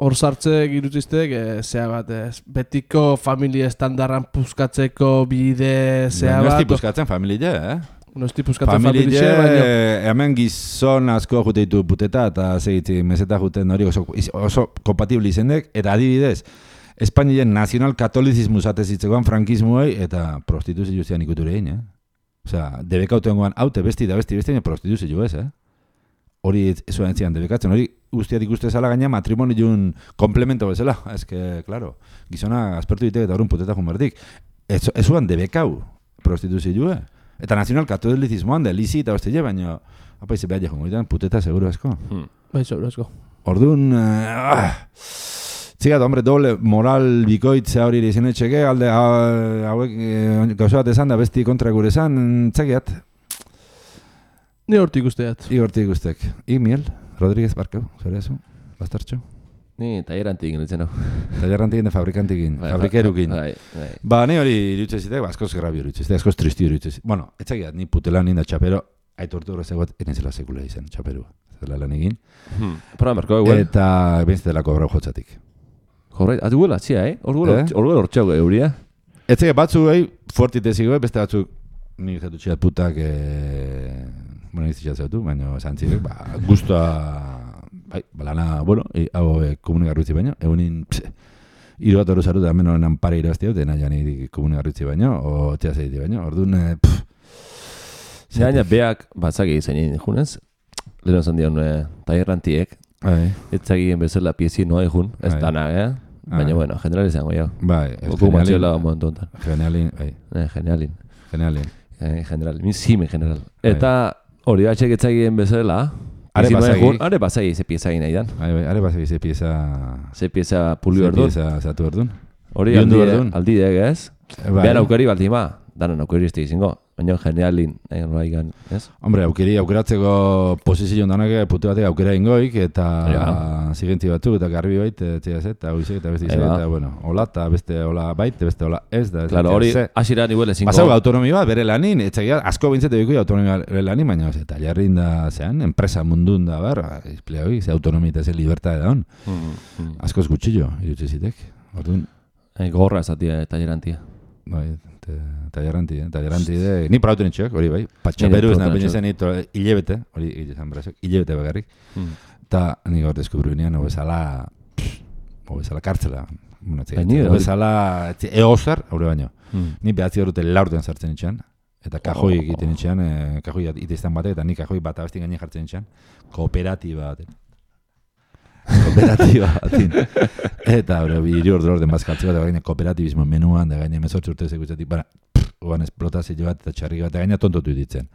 Hor sartzek irutziztek, zea bat, betiko familia estandarran puzkatzeko bide, zea bat... Nosti puzkatzen familia, Nosti puzkatzen familia, baina... Hemen gizon asko jute ditu puteta, eta segitzi meseta juten hori oso kompatibli izendek, eta adibidez, Espainien nazional katolizismu zatezitzekoan frankismuei, eta prostituzio zian ikuture egin, Osea, debekautengoan, haute besti da besti, prostituzio ez, Hori ez zuen entzian debekatzen, hori guztiak ikuste zala gaina matrimoniun komplemento bezala. Ez que, claro, gizona aspertu ditek eta horren puteta junberdik. Ez zuen debekau prostituzioa. Eta nazional katolizismoan da, lizi eta hostile, baina apaize behar jongo ditan, puteta seguro asko. Bai, seguro asko. Orduan, txigat, hombre, doble moral bikoitzea hori izan etxeke, alde hauek gauza bat esan da besti kontra gure esan, txakiat. Ni hortik usteat. Igortik. Miel, Rodríguez Barkau, zure ezu, bastartxo. Ni tallerantik nintzen hau. Tallerantik da fabrikantikin, fabrikerukin. Ba, ni hori irutzezitek, askoz grabi irutzezitek, askoz tristi irutzezitek. Bueno, etzakiat, ni putela ninda txapero, aitortu horrezegoat, enezela sekula izan, txaperua. Zela lan egin. Proba merko, eguel. Eta bintzetela kobrau jotzatik. Horreit, atuguela, txia, Horguela hortxau euria. Etzakiat, batzu fuertitezigo, beste batzuk, ni jatu txiat putak, bueno, izitxat zautu, baina zantzirek, guztua, lana, bueno, hau komunigarritzi baino, egunin, hiru bat hori zaruta, hemen horrenan pare irabazti dut, dena jani komunigarritzi baino, o txea zeiti baino, orduan, Zeraina, beak, batzaki zainin junez, leheno zan dion tallerrantiek, etzakien bezala piezi noa egun, ez dana, baina, bueno, general izango jau. Bai, general, min zime general. Eta, hori batxek etzakien bezala, are bazai ze pieza egin nahi dan. Are bazai ze pieza... Ze pieza pulio erdun. Ze pieza zatu erdun. Hori aldidek ez? Behan aukeri baltima, danan aukeri ez izango. Baina genialin, egin ez? Hombre, aukeratzeko posizio danak pute batek aukera ingoik, eta zigenti batzuk, eta garbi bait, eta hoizek, eta beste izan, eta bueno, hola, eta beste hola bait, beste hola ez, da. Claro, hori asira nivel ezingo. Basau autonomi bat, bere lanin, etxegia, asko bintzete biko autonomi bere lanin, baina eta jarrin da, zean, enpresa mundun da, izplea hori, ze autonomi eta ze libertad da hon. Askoz gutxillo, irutxe zitek. Orduan. Gorra esatia, tallerantia. Bai, talleranti de... Ni prauten itxoak, hori bai. Patxaperu ez nahi zen hilebete, hori izan berazok, hilebete bagarrik. Eta nik hor deskubru binean, hobezala kartzela. Hobezala egozar, haure baino. Ni behatzi horrete laurten sartzen itxean. Eta kajoi egiten itxean, kajoi iteiztan batek, eta ni kajoi bat abestin gaine jartzen itxean. Kooperatiba baten. Kooperatiba batin. Eta hiru orden bazkaltze bat, gaine kooperatibismo menuan, da gaine 18 urte zekutzetik, oan esplotazio bat eta txarrik bat, gaine tontotu ditzen.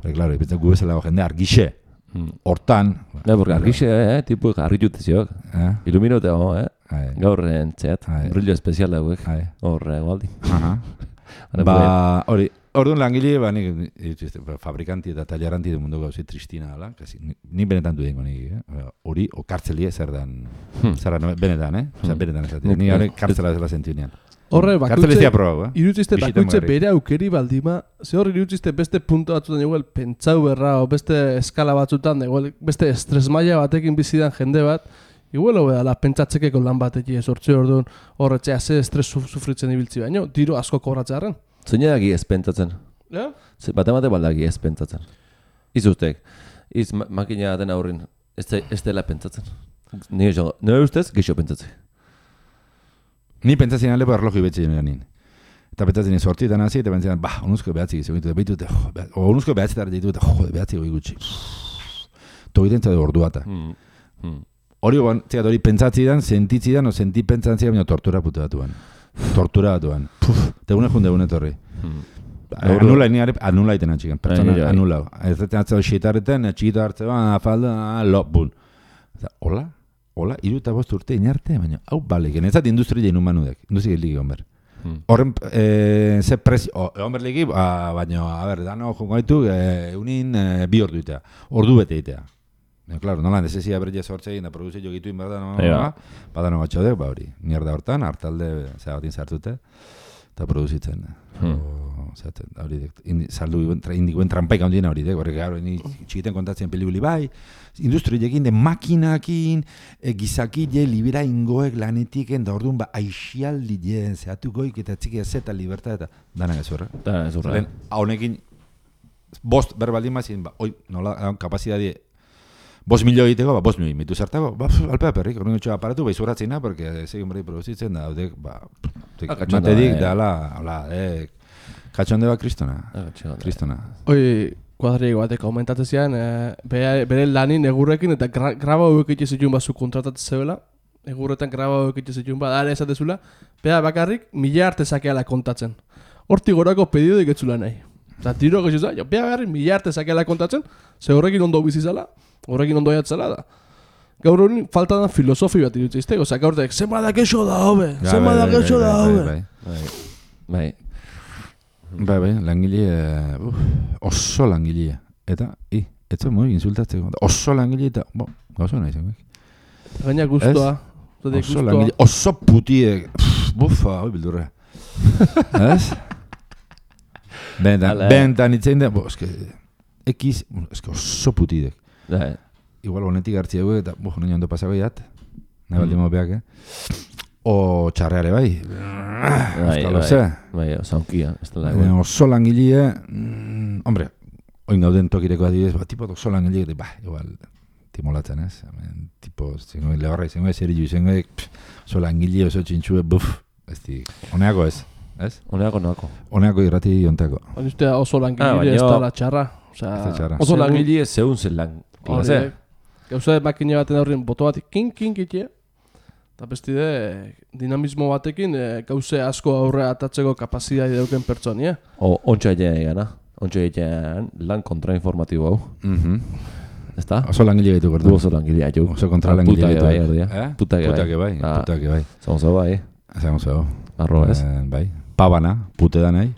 Hore, klaro, ipitzen gu bezala jende argixe, hortan... Porque argixe, tipo garritute ziok. Iluminote, gaur entzeat, brillo espezial dauek, hor egualdi. Hori, orduan langile, fabrikanti eta talleranti du mundu gauzi tristina dela, ni benetan du dengo nik, hori, o kartzelie zer dan, benetan, benetan esatik, ni hori kartzela zela sentiunean. Horre, irutzizte bakoitze bere aukeri baldima, ze hori irutzizte beste punto batzutan eguel pentsau berra, o beste eskala batzutan, beste estresmaia batekin bizidan jende bat, igual hobedala pentsatzekeko lan batekin sortze orduan horretzea ze estres sufritzen ibiltzi baino, diru asko kobratzearen. Zoinedaki ez pentsatzen. Ja? Bate baldaki ez pentsatzen. Izustek, makina den aurrin, ez dela pentsatzen. Nire ustez, geixo pentsatzen. Ni pentsatzen alepo erloju betxe nien. Eta pentsatzen sortietan hasi, eta pentsatzen, onuzko behatzik izan ditut, onuzko behatzetar ditut, behatzik goi gutxi. Togiten zade orduata. Hori pentsatzidan, sentitzidan, o senti pentsatzidan, baina tortura putu batuan. Tortura batuan. Tegune junde torri. Anula iten atxiken, pertsona anula. Ez deten atzau xitarreten, txikito hartzean, afalda, bun. Hola, 25 urte inarte, baina hau balik. Nezat industria egin humanudek, industria egin ligi honber. Horren, ze prezio, honber ligi, baina, dano jongo gaitu, unin 2 ordu itea, ordu bete itea. Claro, nola, nesesia berria sortze egin da produzio gitu inberda, badano batxodek, hori, mierda hortan, hartalde, batin sartute, eta produzitzen. Hori, saldu indikuen trampaik handien hori, horrek, txikiten kontatzen pelikuli bai, industriekin de makinakin, gizakile, libera ingoek lanetiken, da orduan, aixialdi jen, zehatukoik, eta txikia zeta libertad, eta dana gezurra. Honekin, bost berbaldin mazien, nola, kapazidadi, 5 milio egiteko, 5 milio mitu zartako, alpea perrik, horren gotxo aparatu, izurratzena, porque segin berri produzitzen da, matedik, da, katxonde bat kristona. Hoi, kuadriego batek aumentatzen bere lanin egurrekin, eta graba hauek itxezitun bat zu kontratatzen zebela, egurretan graba hauek itxezitun bat, dara esatezula, bakarrik 1000 arte zakeala kontatzen. Hortik gorako pedido diketzula nahi. Eta tiro gexuza, bakarrik 1000 arte zakeala kontatzen, ze horrekin ondo bizizala, horrekin ondo jatzela da. Gaur hori falta da filosofi bat irutzizte, oza, gaur dek, zema da kexo da hobe, zema da kexo da hobe. Bai, langile, oso langile. Eta, ez zuen moik insultatzeko, oso langile eta, gauzo nahi zen. Gaina guztua. Oso langile, oso putiek, bufa, hoi bildurra. Ez? Bentan itzein da, ekiz, oso putidek. Igual honetik hartzi dugu eta nahi ondo pasako jat. Nahi baldi mopeak, O txarreare bai. Bai, zaunkia. Oso langile, hombre, oin gauden tokireko adibidez, tipo oso langile, igual, timolatzen ez. Tipo, zengo lehorra, zengo ezerillu, zengo oso langile, oso txintxue, honeako ez. Honeako irrati ontako. Ustea oso langile ez da la txarra. Oso langile zeun zen lan. Gauza makine baten horren boto bat kin itea. Eta bestide dinamismo batekin gauze asko aurre atatzeko kapazidade dauken pertsonia. Ontsa egitean lan kontrainformatibo hau. ¿Está? Oso langile gaitu gortu. Oso langile gaitu. Oso kontra langile gaitu. Putake bai. Zagonzo bai. Zagonzo. Arro ez. Bai. Pabana, pute da nahi.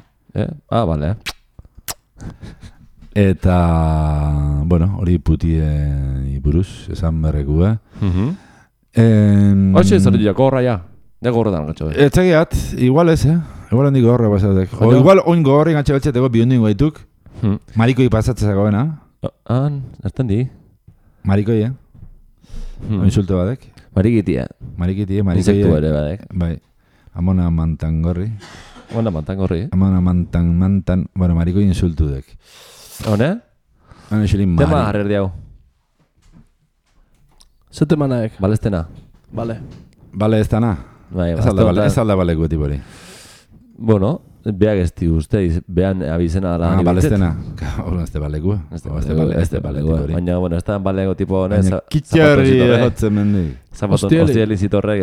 Bale. Eta, bueno, hori puti buruz, esan berrekua. Hoxe, zer dira, gorra ja. Ne gorretan gatxo. Etxegiat, igual ez, Igual handik gorra pasatek. O igual oin gorri gatxe batxeteko bihondingo gaituk. Marikoi pasatzezako bena. Erten di. Marikoi, Insulto badek. Marikitia. Marikoi. Insektu ere badek. Bai. Amona mantan gorri. Amona mantan. Bueno, marikoi insultu dek. Hone? Hone xilin mari. Tema harrer diago. Zete manaek. Balestena. Bale ez dana. Bai, ez alda baleko tipori. Bueno, beak ez di usteiz, behan abizena dala ni balestena. Ez de balekua. Ez de balekua. Baina, bueno, ez da baleko tipo hone. Kitxarri egotzen mendik. Hostieli zitorrek,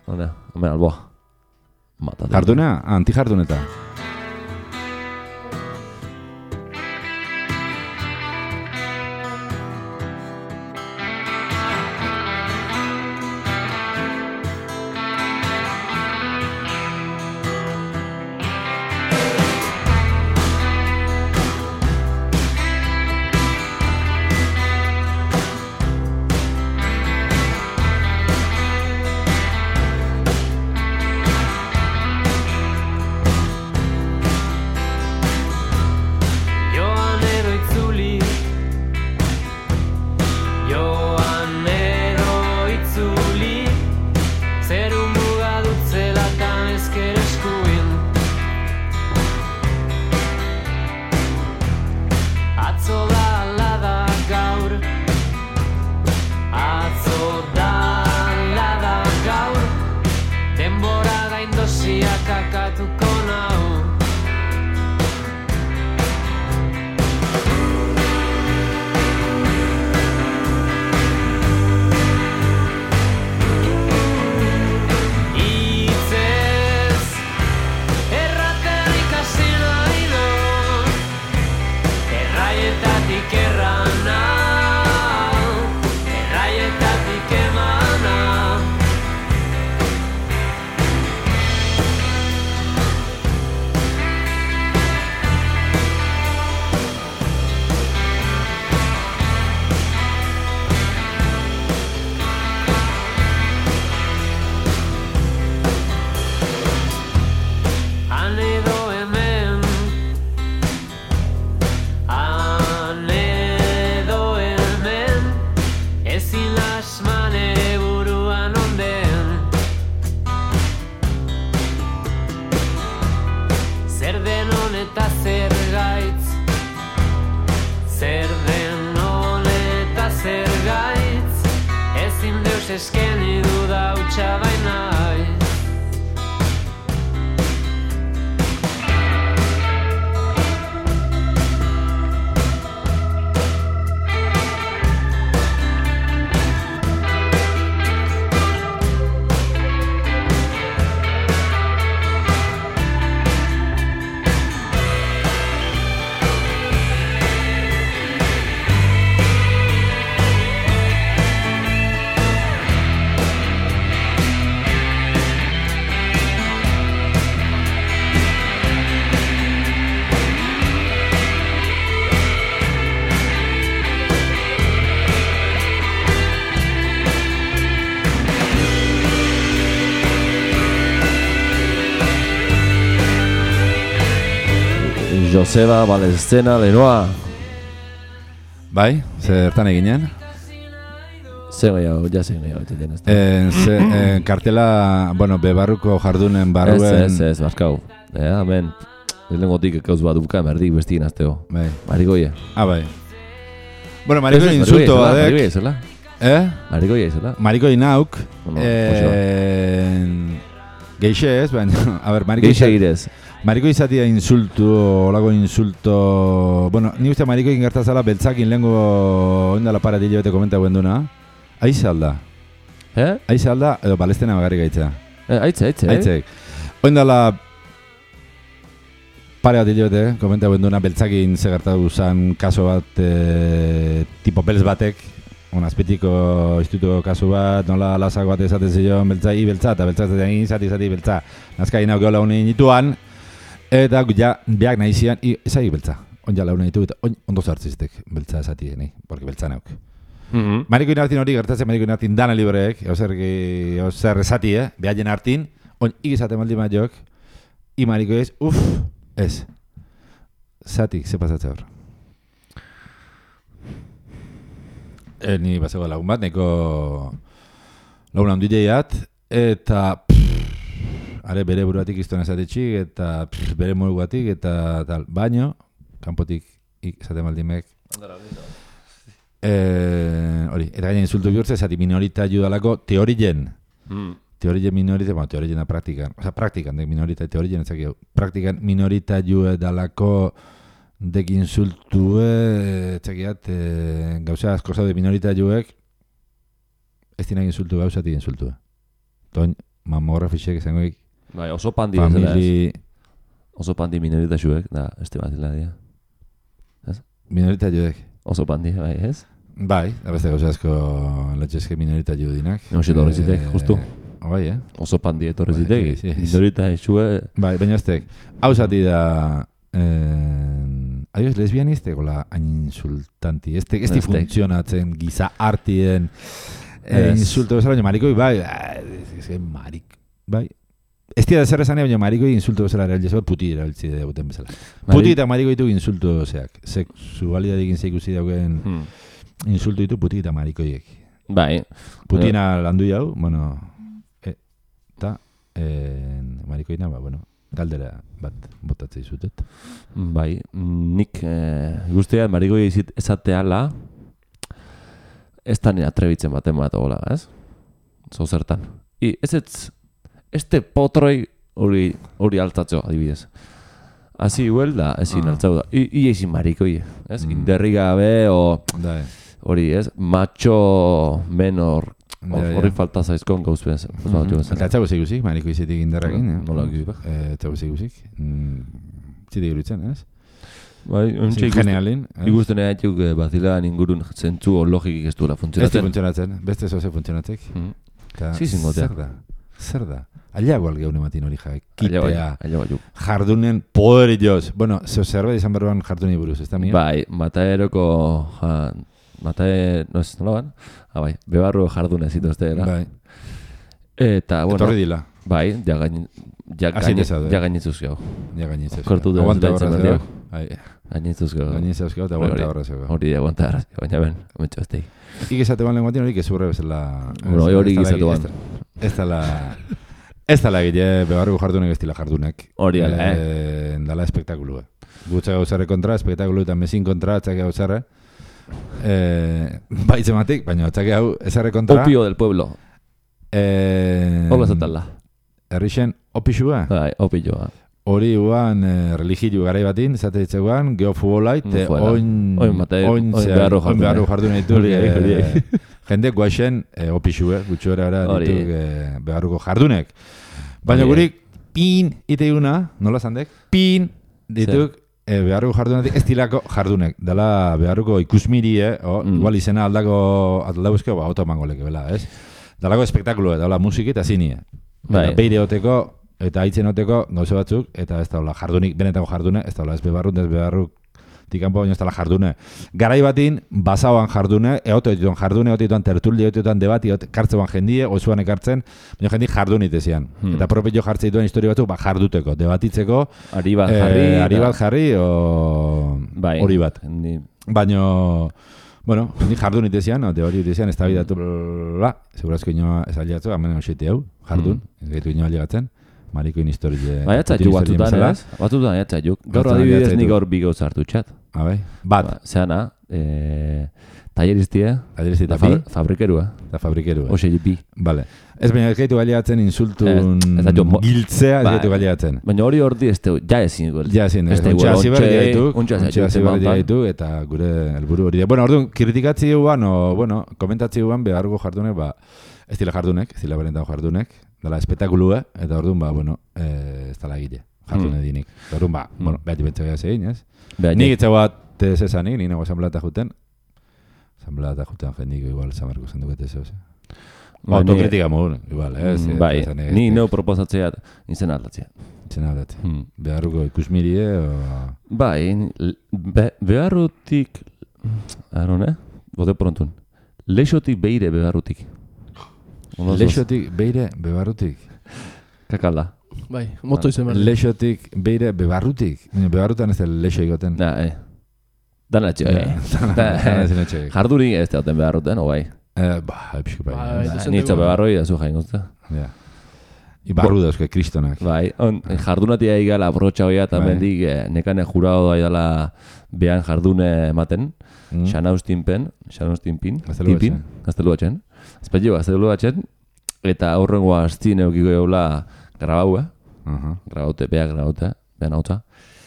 omen alboa. Jardunea? Anti-jarduneta. Eskeni duda utxa bainai. Joseba, Balestena, Lenoa. Bai, zertan eginen? Zer gehiago, kartela, bueno, bebarruko jardunen barruen... Ez, baskau. Hemen, lehenengotik ekauz bat duka, merdik bestigin azteo. Bai. Marikoie. Bai. Bueno, marikoi insulto badek. Marikoi izela. Marikoi izela. Marikoi nauk. Geixe ez, baina, a ber, marikoi... Geixe irez. Mariko izatia insultu, olako insulto... Bueno, ni uste mariko ingertazala beltzakin lehenko oindala para dile bete komenta guen duna. Aize alda. Aize alda, edo Balestena bagarrik aitzea. Aitzek. Oindala pare bat dile bete komenta guen duna beltzakin zegartatu zan kaso bat tipo belz batek. Azpitiko institutuko kasu bat, nola lasak bat esaten zion beltza eta beltza zati beltza. Nazkai nauk geola honen nituan. Eta ja, beak nahi zian, ezagik beltza. onja launa ditu, eta ondo zartziztek, beltza esati, porque beltza neuk. Mariko inartin hori gertatzen, Mariko inartin dana libreek, ozer esati, behaien hartin, igizate maldi maiok, Mariko ez, ez. Zatik, ze pasatze hor. Ni basego lagun bat, neko lagun handi jeiat, eta are bere buruatik iztuen esatetxik, eta bere moiguatik, eta tal, baino, kanpotik izate maldimek. Hori, eta gaina insultu bihurtze, zati minorita judalako teorien. Teorien minorita, bueno, teorien da praktikan. Osa, praktikan, dek minorita teorien, ezak jau. Praktikan minorita jue dalako dek insultue, etzakiat, gauza asko zaude minorita juek, ez dinak insultu gauzati insultue. Toin, mamografixek esangoik. Bai, oso pandi bezala ez. Oso pandi minorita juek, da, este batila dia. Minorita juek. Oso pandi, bai, ez? Bai, abeste gauza asko latxezke minorita ju dinak. Noxe torrezitek, justu. Bai, Oso pandi etorrezitek, minorita jue. Bai, baina aztek, hau zati da... Adioz, lesbianiste gola hain insultanti. Ez di funtzionatzen giza artien insulto bezala, baina marikoi, bai, marik, bai. Ez dira zer esan, baina marikoi insulto bezala erabiltze bat, puti erabiltze dagoeten bezala. Puti eta marikoi ditu insulto zeak. Sexualidadekin zeikusi dauken insulto ditu puti eta marikoiek. Bai. Putina landu jau, bueno, eta marikoina, bueno, galdera bat botatzei zutet. Bai, nik guztia marikoi esateala ez da nire atrebitzen baten bat hola, ez? Zozertan. Este potroi hori altatzeo, adibidez. Hasi huel da, ezin altzau da. Ezin marikoi, ez? Inderri gabe, hori, ez? Macho menor, hori falta zaizkon gauz bez. Eta etxago zeiguzik, mariko izetik inderrakin. Nola gizik? Etxago zeiguzik. Zitek iruditzen, ez? Bai, generalin. Ikusten egituk bazilean ingurun zentzu o logikik ez duela funtzionatzen. Ez du funtzionatzen, beste zoze funtzionatzek. Zingotea. Zer da? Ailago alge hone matin hori kitea. Ailago jardunen poderioz. Bueno, zeo zerbait izan berroan jarduni buruz, ez da mia? Bai, Mataeroko... no ez nola ban? Bai, bebarru jardune zituzteela. Bai. Eta, bueno... Etorri dila. Bai, ja gainitzuz gau. Ja gainitzuz. Kortu dut. Aguanta horra zego. Gainitzuz gau. Gainitzuz gau eta aguanta horra zego. Hori aguanta horra zego, baina ben, komentxo ez tegi. Ikizate ban lenguatin hori kezurre bezala... Hori ikizate ban. Ez dala egile bebarruko jardunek ez dila jardunek. Hori ala, Dala espektakulua. Gutsa gauzarre kontra, espektakulu eta mesin kontra, atxake gauzarre. Baitzematik, baina atxake hau ezarre kontra. Opio del pueblo. Hola zatala. Errixen opixua? Bai, opioa. Hori guan religiu garai batin, zate ditzeguan, geofutbolait, oin beharru jardun ditu. Jende guaxen opixue, gutxuera ditu beharruko jardunek. Baina gurik, pin iteiguna, nola zandek? Pin dituk beharruko jardunetik ez dilako jardunek. Dala beharruko ikusmirie, igual izena aldaguzkeo, auto emango leke, bela, ez? Dalako espektakulo, dala musiki eta zinie. Beire oteko, eta haitzen oteko gauze batzuk, eta ez daula jardunik, benetako jardune, ez daula ez bebarruk tikampo, baina ez daula jardune. Garai batin, basauan jardune, eote dituan jardune, eote dituan tertuldi, eote dituan debati, kartzean jendie, ozuan ekartzen, baina jendi jardunit ezian. Eta propio jartze dituen historia batzuk, jarduteko, debatitzeko, ari bat jarri, hori bat. Baina... Bueno, ni jardun itezian, teori itezian, ez da bidatu, segurazko inoa ez aliatzu, hamen oseti hau, jardun, ez gaitu inoa aliatzen, marikoin historie... Baiatzaiuk batutan, ez? Batutan, baiatzaiuk. Gaur adibidez nik gaur bi gauz hartu txat. Bat. Zeana, talleriztia, eta fabrikerua. Eta fabrikerua. Oxe, bi. Bale. Ez baina ez gaitu galiatzen insultun giltzea, ez gaitu galiatzen. Baina hori ordi ez tegu, ja ezin igual. Ja ezin, ontsa ziberri ditu, eta gure helburu hori. Bueno, orduan, kritikatzi guan, komentatzi guan, behargo jardunek, ez dila jardunek, ez dila berentago jardunek, dala espetakulua, eta orduan, ez dala egile, jardune dinik. Orduan, behati bentsagea zegin, ez? Nik etxe bat zezanik, nik nago asamblata juten, jendik igual zamarko zenduket ez, autokritika mogun, igual, ez? Bai, ni neu proposatzeat izen aldatzea. Zena dut. Beharruko ikusmirie, Bai, beharrutik, arone, bote prontun, leixotik beire beharrutik. Leixotik beire beharrutik. Kakala. Bai, moto izen behar. Leixotik beire beharrutik. Beharrutan ez da leixo egoten. Dana etxe, jardurik ez dauten beharruten, bai. Pixko bai. Nitzo beharroi da zu jainguzta. Ja. Ibarru dauzke, kristonak. Bai, jardunatia igala brotxa hoia, eta mendik nekane jurado da idala behan jardune ematen. Xanaustinpin, gaztelu batxen. Azpetio, gaztelu batxen. Eta aurrengo aztien eukiko eula grabaue. Grabaute, behan hautza.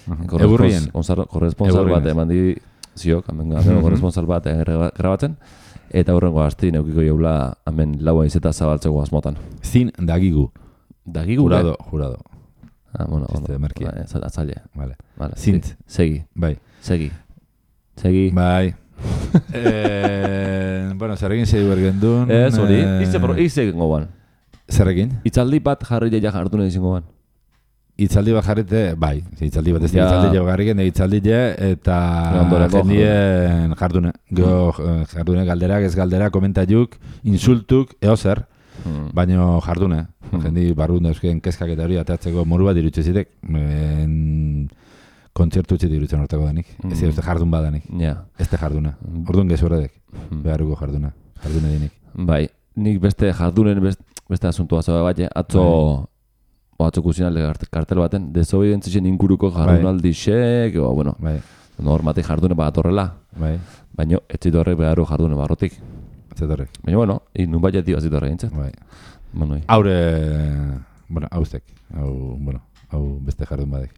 Egurrien. Korresponsal bat eman di ziok, amengo korresponsal bat grabatzen. Eta aurrengo aztien eukiko eula hemen laua izeta zabaltzeko asmotan. Zin dagigu. Dagigu, Jurado. Bueno, merkia. Atzaile. Vale. Zint. Segi. Bai. Segi. Bai. Bueno, zerrekin segi bergendun. Ez, hori. Izegin goban. Zerrekin? Itzaldi bat jarri ja jardune izin goban. Itzaldi bat jarrite, bai. Itzaldi bat ez itzaldi jarriken, itzaldi eta jendien jardune. Jardune galderak, ez galderak, komentaiuk, insultuk, eozer. Baina jardune. Jendi barrun dauzken kezkak eta hori atatzeko moru bat irutxe zitek. Kontzertu utzi dirutzen hortako danik. Ez dira jardun badanik. Ez de jarduna. Orduan gezu horredek. Beharruko jarduna. Jardune dinik. Bai, nik beste jardunen beste asuntua zoa bat, atzo kusinalde kartel baten, desobedientzien inguruko jardunaldi xek, bueno, normatik jardune bat atorrela. Baina etxit horrek beharru jardune barrotik. Baina, bueno, nun bat jati bazit horre gintzen. Haure, bueno, hauztek. Hau beste jardun badek.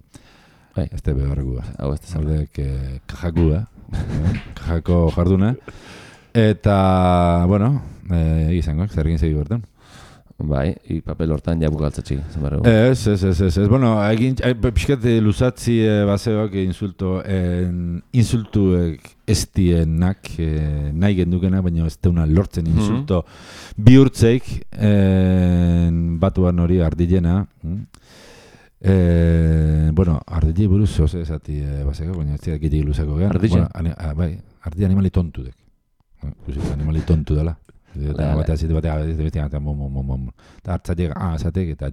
Este beharreko hau este zaudek kajakua. Kajako jarduna. Eta, bueno, egizango, zer egin segi bertan. Bai, papel hortan ja bukaltzatxik. Ez. Bueno, pixkat luzatzi baseoak insultuek estienak nahi gendukena, baina ez deuna lortzen insulto bihurtzeik batuan hori ardilena. Bueno, ardile buruz zoze esati baseko, baina ez dira gitik luzako gehan. Ardile? Bai, ardile animali tontu dek. Animali tontu dela. Eta batea hartzatik azatek eta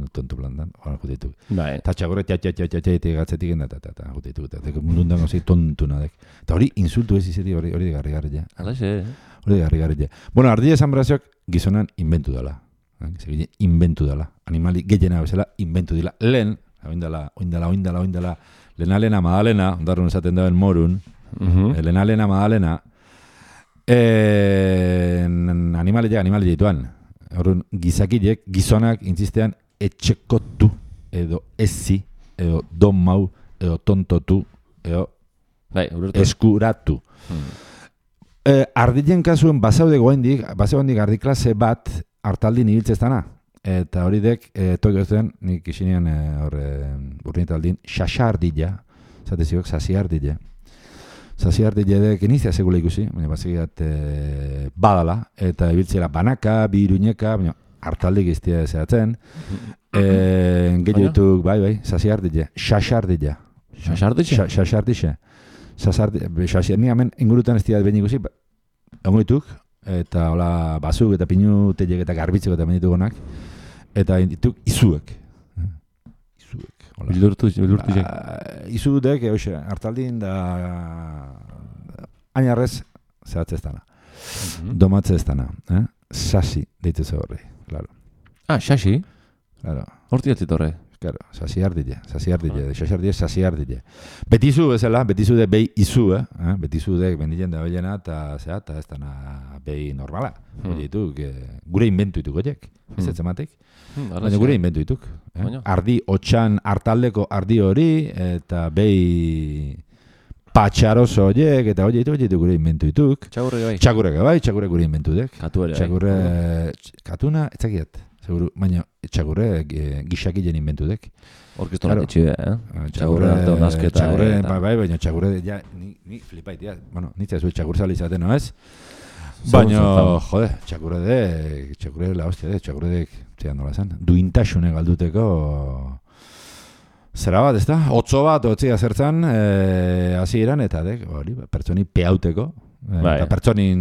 tontu plantan hori jutetuk. Eta txagorre gatzetik eta jutetuk. Eta mundundan gozei tontu nadek. Eta hori insultu ez izeti hori de garri ja. Hori de garri ja. Bueno, ardile esan berazioak gizonan inventu dela. Inventu dela. Animali gehiena bezala inventu dela. Lehen, oindala, lena madalena, ondarrun esaten daben morun, lena madalena, animali dituan. Horren, gizakilek, gizonak intzistean etxekotu, edo ezi, edo domau, edo tontotu, edo eskuratu. Ardilen kasuen basaude goendik ardiklase bat hartaldin ibiltzeztana. Eta hori dek, toik ezten, nik isinean urrinetaldin, xaxardila, zateziok, zasiardila. Zasiardila dek, inizia segula ikusi, baina basegiat badala, eta ibiltzela banaka, bi iruñeka, baina hartaldik iztia zehatzen. Gehiotuk, bai, zasiardila, xaxardila. Xaxardila? Xaxardila. Xaxardila, hemen ingurutan ez diat behin ikusi, ongoituk, eta hola bazuk eta pinutelek eta garbitzeko eta menditugonak, eta dituk izuek. Bildurtu jek. Izudek, hartaldin da ainarrez zehatze ez dana. Domatze ez dana. Sasi deitze ze horri, claro. Sasi? Claro. Horti atzit horre? Claro, sasiardile. Betizu bezala, betizu de behi izu, betizu de bendilen da bellena eta ez dana behi normala. Gure inventu ituk oiek, ez etzematik. Baina gure inventu ituk. Ardi, otxan, hartaldeko ardi hori, eta behi patxaroso horiek, eta horiek gure inventu ituk. Txakurreke bai, txakurre gure inventu dek. Katuna, etzakiat. Seguru, baina txagurre gixakilen inventu dek. Orkeston etxide, Txagurre hartu nazketa. Bai, baina txagurre, ni flipait, bueno, nitzea zuen txagurzali izaten, no ez? Baina, jode, txagurre la hostia, txagurre dek, zean nola zen, duintasune galduteko Zera bat, ez da? Otzo bat, otzia zertzan, hasieran eta hori, pertsoni peauteko. Eta pertsonin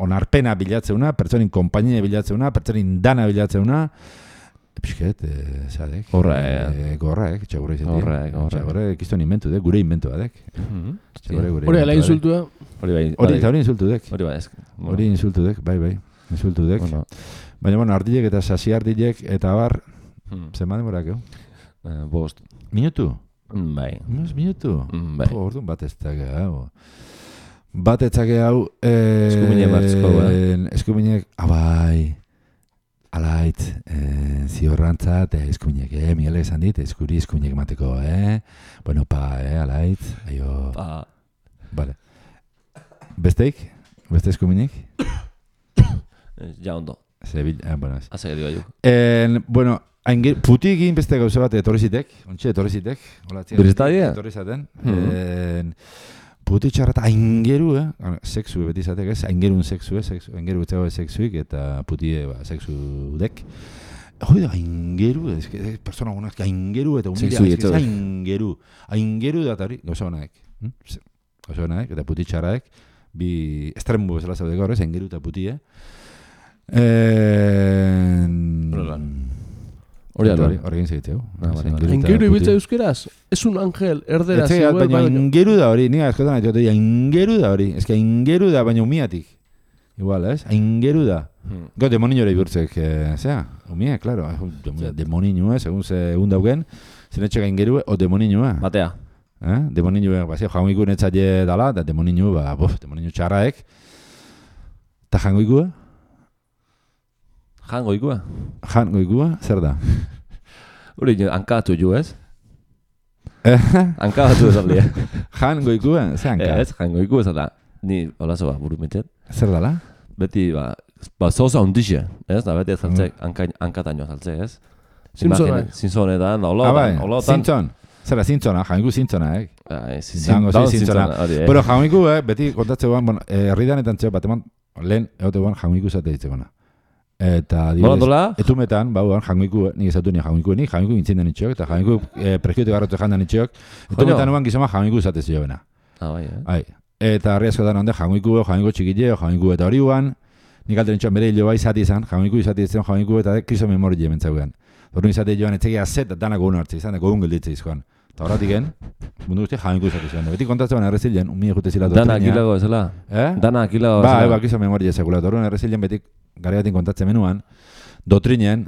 onarpena bilatzeuna, pertsonin kompainia bilatzeuna, pertsonin dana bilatzeuna. Pisket, zadek. Gorraek, txagurra izatea. Txagurra kiston inventu dek, gure inventu badek. Hori ala insultua? Hori insultu dek. Hori insultu dek, bai, insultu dek. Baina, ardilek eta sasi ardilek eta bar, zenba demorak, Bost. Minutu? Bai. Minutu? Bai. Orduan bat ez dake hau. Bat ez dake hau... Eskuminek bartzko, Eskuminek, abai... Alait, ziorrantzat, eskuminek, Miguel esan dit, eskuri eskuminek mateko, Bueno, alait, aio... Pa. Vale. Besteik? Beste eskuminek? Ja ondo. Bueno, ez. Azak edo gaiu. Bueno, putik egin beste gauza bat etorrizitek, ontsi etorrizitek. Bireztadia? Etorrizaten. Putik txarrat aingeru, sexu beti izatek, aingerun sexu, aingeru betzago sexuik eta putie sexu dek. Hoi da, aingeru, persona gunak, aingeru eta humilea, aingeru da hori, gauza honaek. Gauza honaek, eta putik txarraek, bi estrembu bezala zaudeko horrez, aingeru eta putie. Hori egin segitzeu. Aingeru ibiltza euskeraz? Ez un angel, erderaz. Baina aingeru da hori, niga eskotan nahi, aingeru da hori. Ez que aingeru da, baina umiatik. Igual, ez? Aingeru da. Gau, demoniño ere iburtzek, zera? Umia, klaro. Demoniño, segun segun daugen. Zenetxek aingeru, o demoniño, Batea. Demoniño, jangoiku netzaile dala, eta demoniño, demoniño txarraek. Eta jangoiku, Jangoikua? Jangoikua, zer da? Hori, hankatu ju, ez? Hankatu ez aldia. Jangoikua, zer hanka? Ez, jangoikua ez da. Ni, hola zoa, buru mitet. Zer dala? Beti, zoza hundixe, ez? Da beti ez saltzek, hankataino saltzek, ez? Zinzonetan, holotan. Zintzon. Zera, zintzona, jangoiku zintzona, Zintzona. Pero jangoiku, beti kontatze guan, herridanetan txeo bat eman, lehen, egote guan jangoiku zate ditzekona. Eta dibidez, etumetan, jangoiku, nik ezautu nik jangoiku gintzen den itxok, eta jangoiku preskiote garrotu jandan itxok, etumetan uan gizoma jangoiku zatez jo bena. Eta harri asko da nonde jangoiku txikile, jangoiku eta hori uan, nik alten itxoan bere hilo bai zati izan, jangoiku izati izan jangoiku eta kriso memori jementzaugan. Horren izate joan etzegia zet, danak gogun hartze izan, gogun gelditze izkoan. Eta horretik mundu guzti jangoiku izati izan. Beti kontatzen errezilen, umie jute zila Dana akilago ezela? Dana akilago ezela? Ba, kriso memori ezakula. Horren errezilen betik garriatin kontatzen menuan, dotrinen,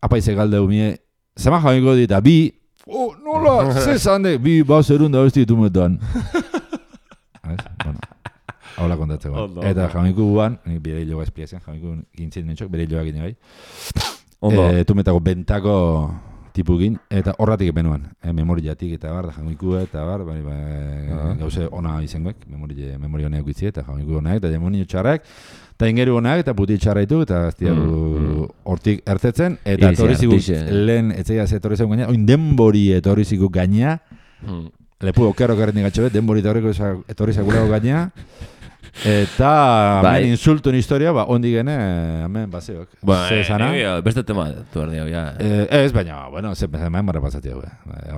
apaize galde umie, zama jangoiko dit, bi, nola, ze zande, bi, zerun da besti ditumetan. Haula kontatzen guan. Eta jangoiko guan, bere hiloga espliazen, jangoiko gintzen nintzok, bere hiloga gine bai. Tumetako bentako tipugin, eta horratik epenuan, memoriatik eta bar, jangoiko eta bar, gauze ona izangoek, memori honeak gutzi, eta jangoiko honeak, eta demonio txarrak, eta ingeru honak, eta puti txarraitu, eta hortik ertetzen, eta etorrizigu lehen etzeia ze etorrizigu gaina, oin denbori etorrizigu gaina, lepu okerro kerretik gatxobet, denbori etorrizigu gaina, eta hemen insultun historia, ondi gene, hemen baseok. Beste tema, tu erdi hau, ja. Ez, baina, bueno, hemen barra pasati hau,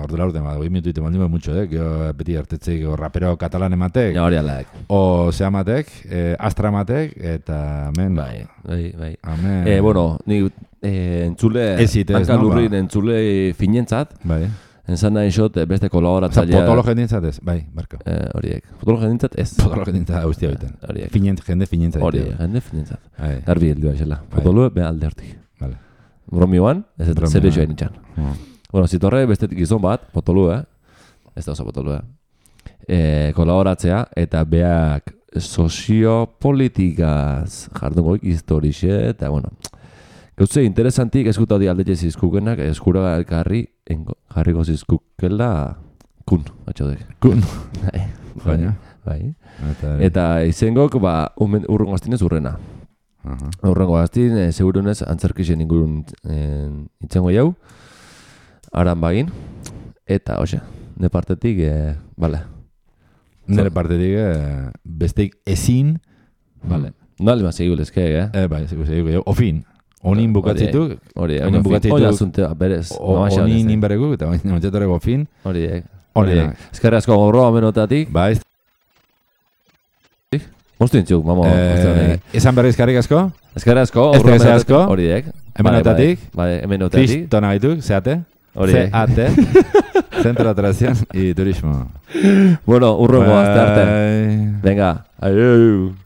ordura urte, 2 minutu ite maldime mucho, beti hartetzeik, rapero katalan ematek, o ze amatek, astra amatek, eta hemen, bai. Bueno, ni entzule, hankalurrin entzule finentzat, enzan nahi xot beste kolaboratzailea. Potolo jendintzat ez, bai, barko. Horiek. Potolo jendintzat ez. Potolo jendintzat guztia biten. Jende finentzat. Horiek, jende finentzat. Garbi heldua esela. Potolo be alde hortik. Bromioan, ez ez zer joan itxan. Bueno, zitorre beste gizon bat, potolo, ez da oso potolo, kolaboratzea, eta beak soziopolitikaz jardungoik historixe, eta bueno, gauze interesantik eskuta di alde zizkukenak, eskura jarriko zizkukela kun, atxodek. Kun? Bai. Eta izengok, urrengo aztinez urrena. Urrengo aztin, segurunez, antzerkixen ingurun itzengo jau, aran bagin, eta, hoxe, ne partetik, bale. Nere partetik, besteik ezin, bale. No alima segul ezke, Bai, segul, ofin. Onin bukatzituk. Onin bukatzituk. Oina zuntea, berez. Onin inberekuk, eta ontsetoreko fin. Horiek. Eskerri asko gorroa menotatik. Ba, ez. Moztu intzuk, mamo. Esan berri eskerrik asko? Eskerri asko. Eskerri asko. Horiek. Hemenotatik. Hemenotatik. Kristona gaituk, zeate. Horiek. Zeate. Centro de Atracción y Turismo. Bueno, urrengo azte arte. Venga, adiós.